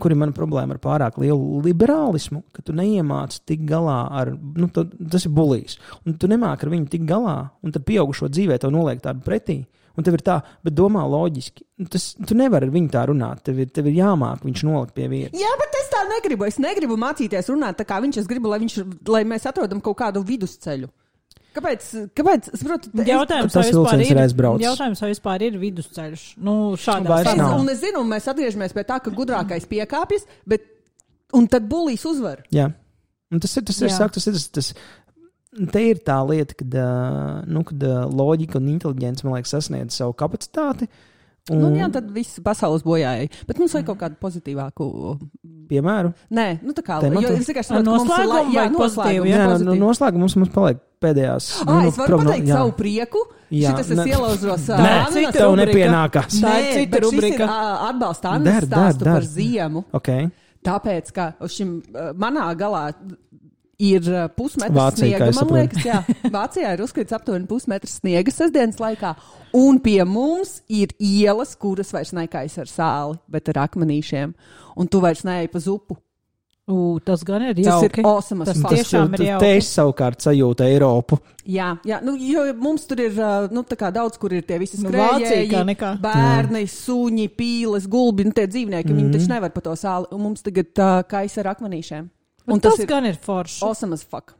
kur ir mana problēma ar pārāk lielu liberālismu, ka tu neiemāc tik galā ar, nu, tu, tas ir bulijs. Un tu nemāk ar viņu tik galā, un tad pieaugušo dzīvē tev noliek tādu pretī. Un tev ir tā, bet domā loģiski. Tas, tu nevari ar viņu tā runāt, tev ir, tev ir jāmāk viņš nolikt pie vietas. Jā, bet es tā negribu. Es negribu mācīties runāt tā kā viņš. Es gribu, lai, viņš, lai mēs atrodam kaut kādu vidusceļu. Kāpēc? Kāpēc? Es saprotu, jautājums, tas vilciens ir aizbraucis. Jautājums, vai vispār ir vidusceļš? Nu, šādā veidā. Un es zinu, un mēs atgriežamies pie tā, ka gudrākais piekāpjas, bet un tad bulīs uzvar. Jā. Un tas ir tas, ir, sāk, tas, ir, tas, tas te ir tā lieta, kad, nu, kad loģika un inteliģence, man liekas, sasniedz savu kapacitāti. Un... Nu, jā, tad viss pasaules bojāja. Bet mums vajag kaut kādu pozitīvāku piemēru. Nē, nu tā kā, jo es vienkārši saprotu, noslēgumu mums ir, jā, noslēgumu. Jā, no, noslēgumu mums, mums paliek pēdējās. Ah, es varu pateikt no, savu prieku. Jā, šitas es ielaužos. Nē, cita tev nepienākās. Nē, bet šis ir atbalsta Annas stāstu par ziemu. Okay. Tāpēc, ka šim manā galā ir pusmetrs sniega, man liekas, jā. Vācijā ir uzkrits aptuveni pusmetrs sniega sestdienas laikā, un pie mums ir ielas, kuras vairs nekais ar sāli, bet ar akmenīšiem, un tu vairs neej pa zupu. U, tas gan ir jauki. Tas ir awesome. Tas tiešām ir jauki. Te es savukārt sajūtu Eiropu. Jā, jā, nu, jo mums tur ir, nu, tā kā daudz, kur ir tie visi Nu, skrējēji, Vācija kā bērni, suņi, pīles, gulbi, nu, tie dzīvnieki, mm. viņi taču nevar pa to sāli, un mums tagad uh, kais ar akmenīšiem. Un tas, tas ir gan ir forši. Awesome as fuck.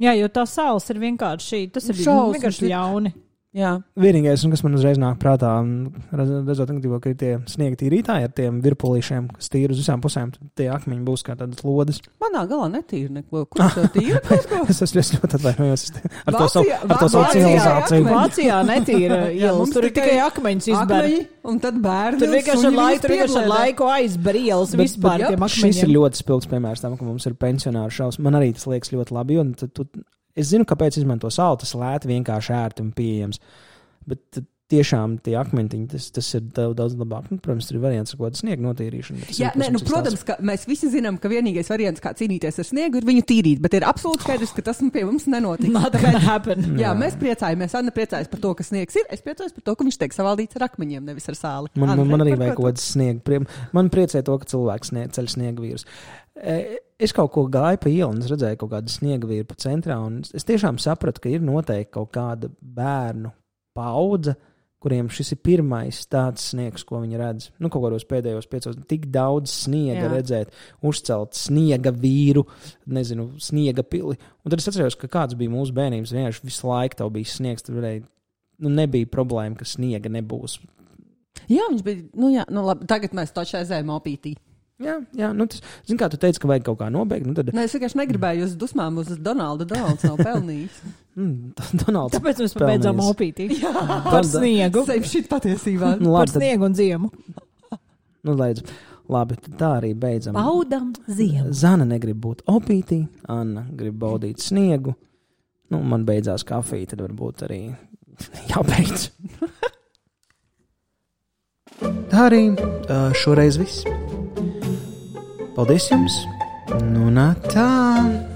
Jā, jo tā sāls ir vienkārši, tas ir Šausmas, vienkārši ļauni. Jā. Vienīgais, kas man uzreiz nāk prātā, redzot, ka ir tie sniega tīrītāji ar tiem virpulīšiem, kas tīri uz visām pusēm, tie akmeņi būs kā tādas lodes. Manā galā netīra neko. Kur tas tīra kaut ko? es esmu ļoti atvainojos ar to Vācijā, savu, ar to savu civilizāciju. Vācijā netīra ielas, tur ir tikai akmeņus izbēr. Un tad bērni. Tur vienkārši ar laiku, tur vienkārši ar laiku aizber ielas vispār tiem akmeņiem. Šis ir ļoti spilgs piemērs tam, ka mums ir pensionāru šaus. Man arī tas liekas ļoti labi, un tu, es zinu, kāpēc izmanto sāli, tas lēti vienkārši ērti un pieejams. Bet tiešām tie akmentiņi, tas, tas ir daudz, daudz labāk. Nu, protams, tur ir variants ar kaut kādu sniegu notīrīšanu. Jā, nē, nu, protams, ka mēs visi zinām, ka vienīgais variants, kā cīnīties ar sniegu, ir viņu tīrīt, bet ir absolūti skaidrs, ka tas pie mums nenotiek. Tāpēc, jā, jā, mēs priecājamies. Anna priecājas par to, ka sniegs ir. Es priecājos par to, ka viņš tiek savaldīts ar akmeņiem, nevis ar sāli. Man, Anna, man, man arī vajag kaut kāds sniegu. Man priecē to, ka cilvēks snieg, ceļ sniegu vīrus. Es kaut ko gāju pa ielu un es redzēju kaut kādu sniegu vīru pa centrā, un es tiešām sapratu, ka ir noteikti kaut kāda bērnu paudze, kuriem šis ir pirmais tāds sniegs, ko viņi redz. Nu, kaut kādos pēdējos piecos, tik daudz sniega Jā. Redzēt, uzcelt sniega vīru, nezinu, sniega pili. Un tad es atceros, ka kāds bija mūsu bērnības, vienkārši visu laiku tev bija sniegs, tur varēja, nu, nebija problēma, ka sniega nebūs. Jā, viņš bija, nu jā, nu labi, tagad mēs taču aizējām opītī. Jā, jā, nu tas, zin kā tu teici, ka vajag kaut kā nobeigt, nu tad... Nē, es vienkārši negribēju uz dusmām uz Donaldu, Donalds nav pelnījis. Mm, Donalds Tāpēc mēs pabeidzām opītī. Jā, par sniegu. Seip šit patiesībā. Nu, labi, par sniegu un ziemu. Nu, laidz, labi, tā arī beidzam. Baudam ziemu. Zana negrib būt opītī, Anna grib baudīt sniegu. Nu, man beidzās kafija, tad varbūt arī jābeidz. Tā arī šoreiz viss. Paldies jums! Nu, nā tā!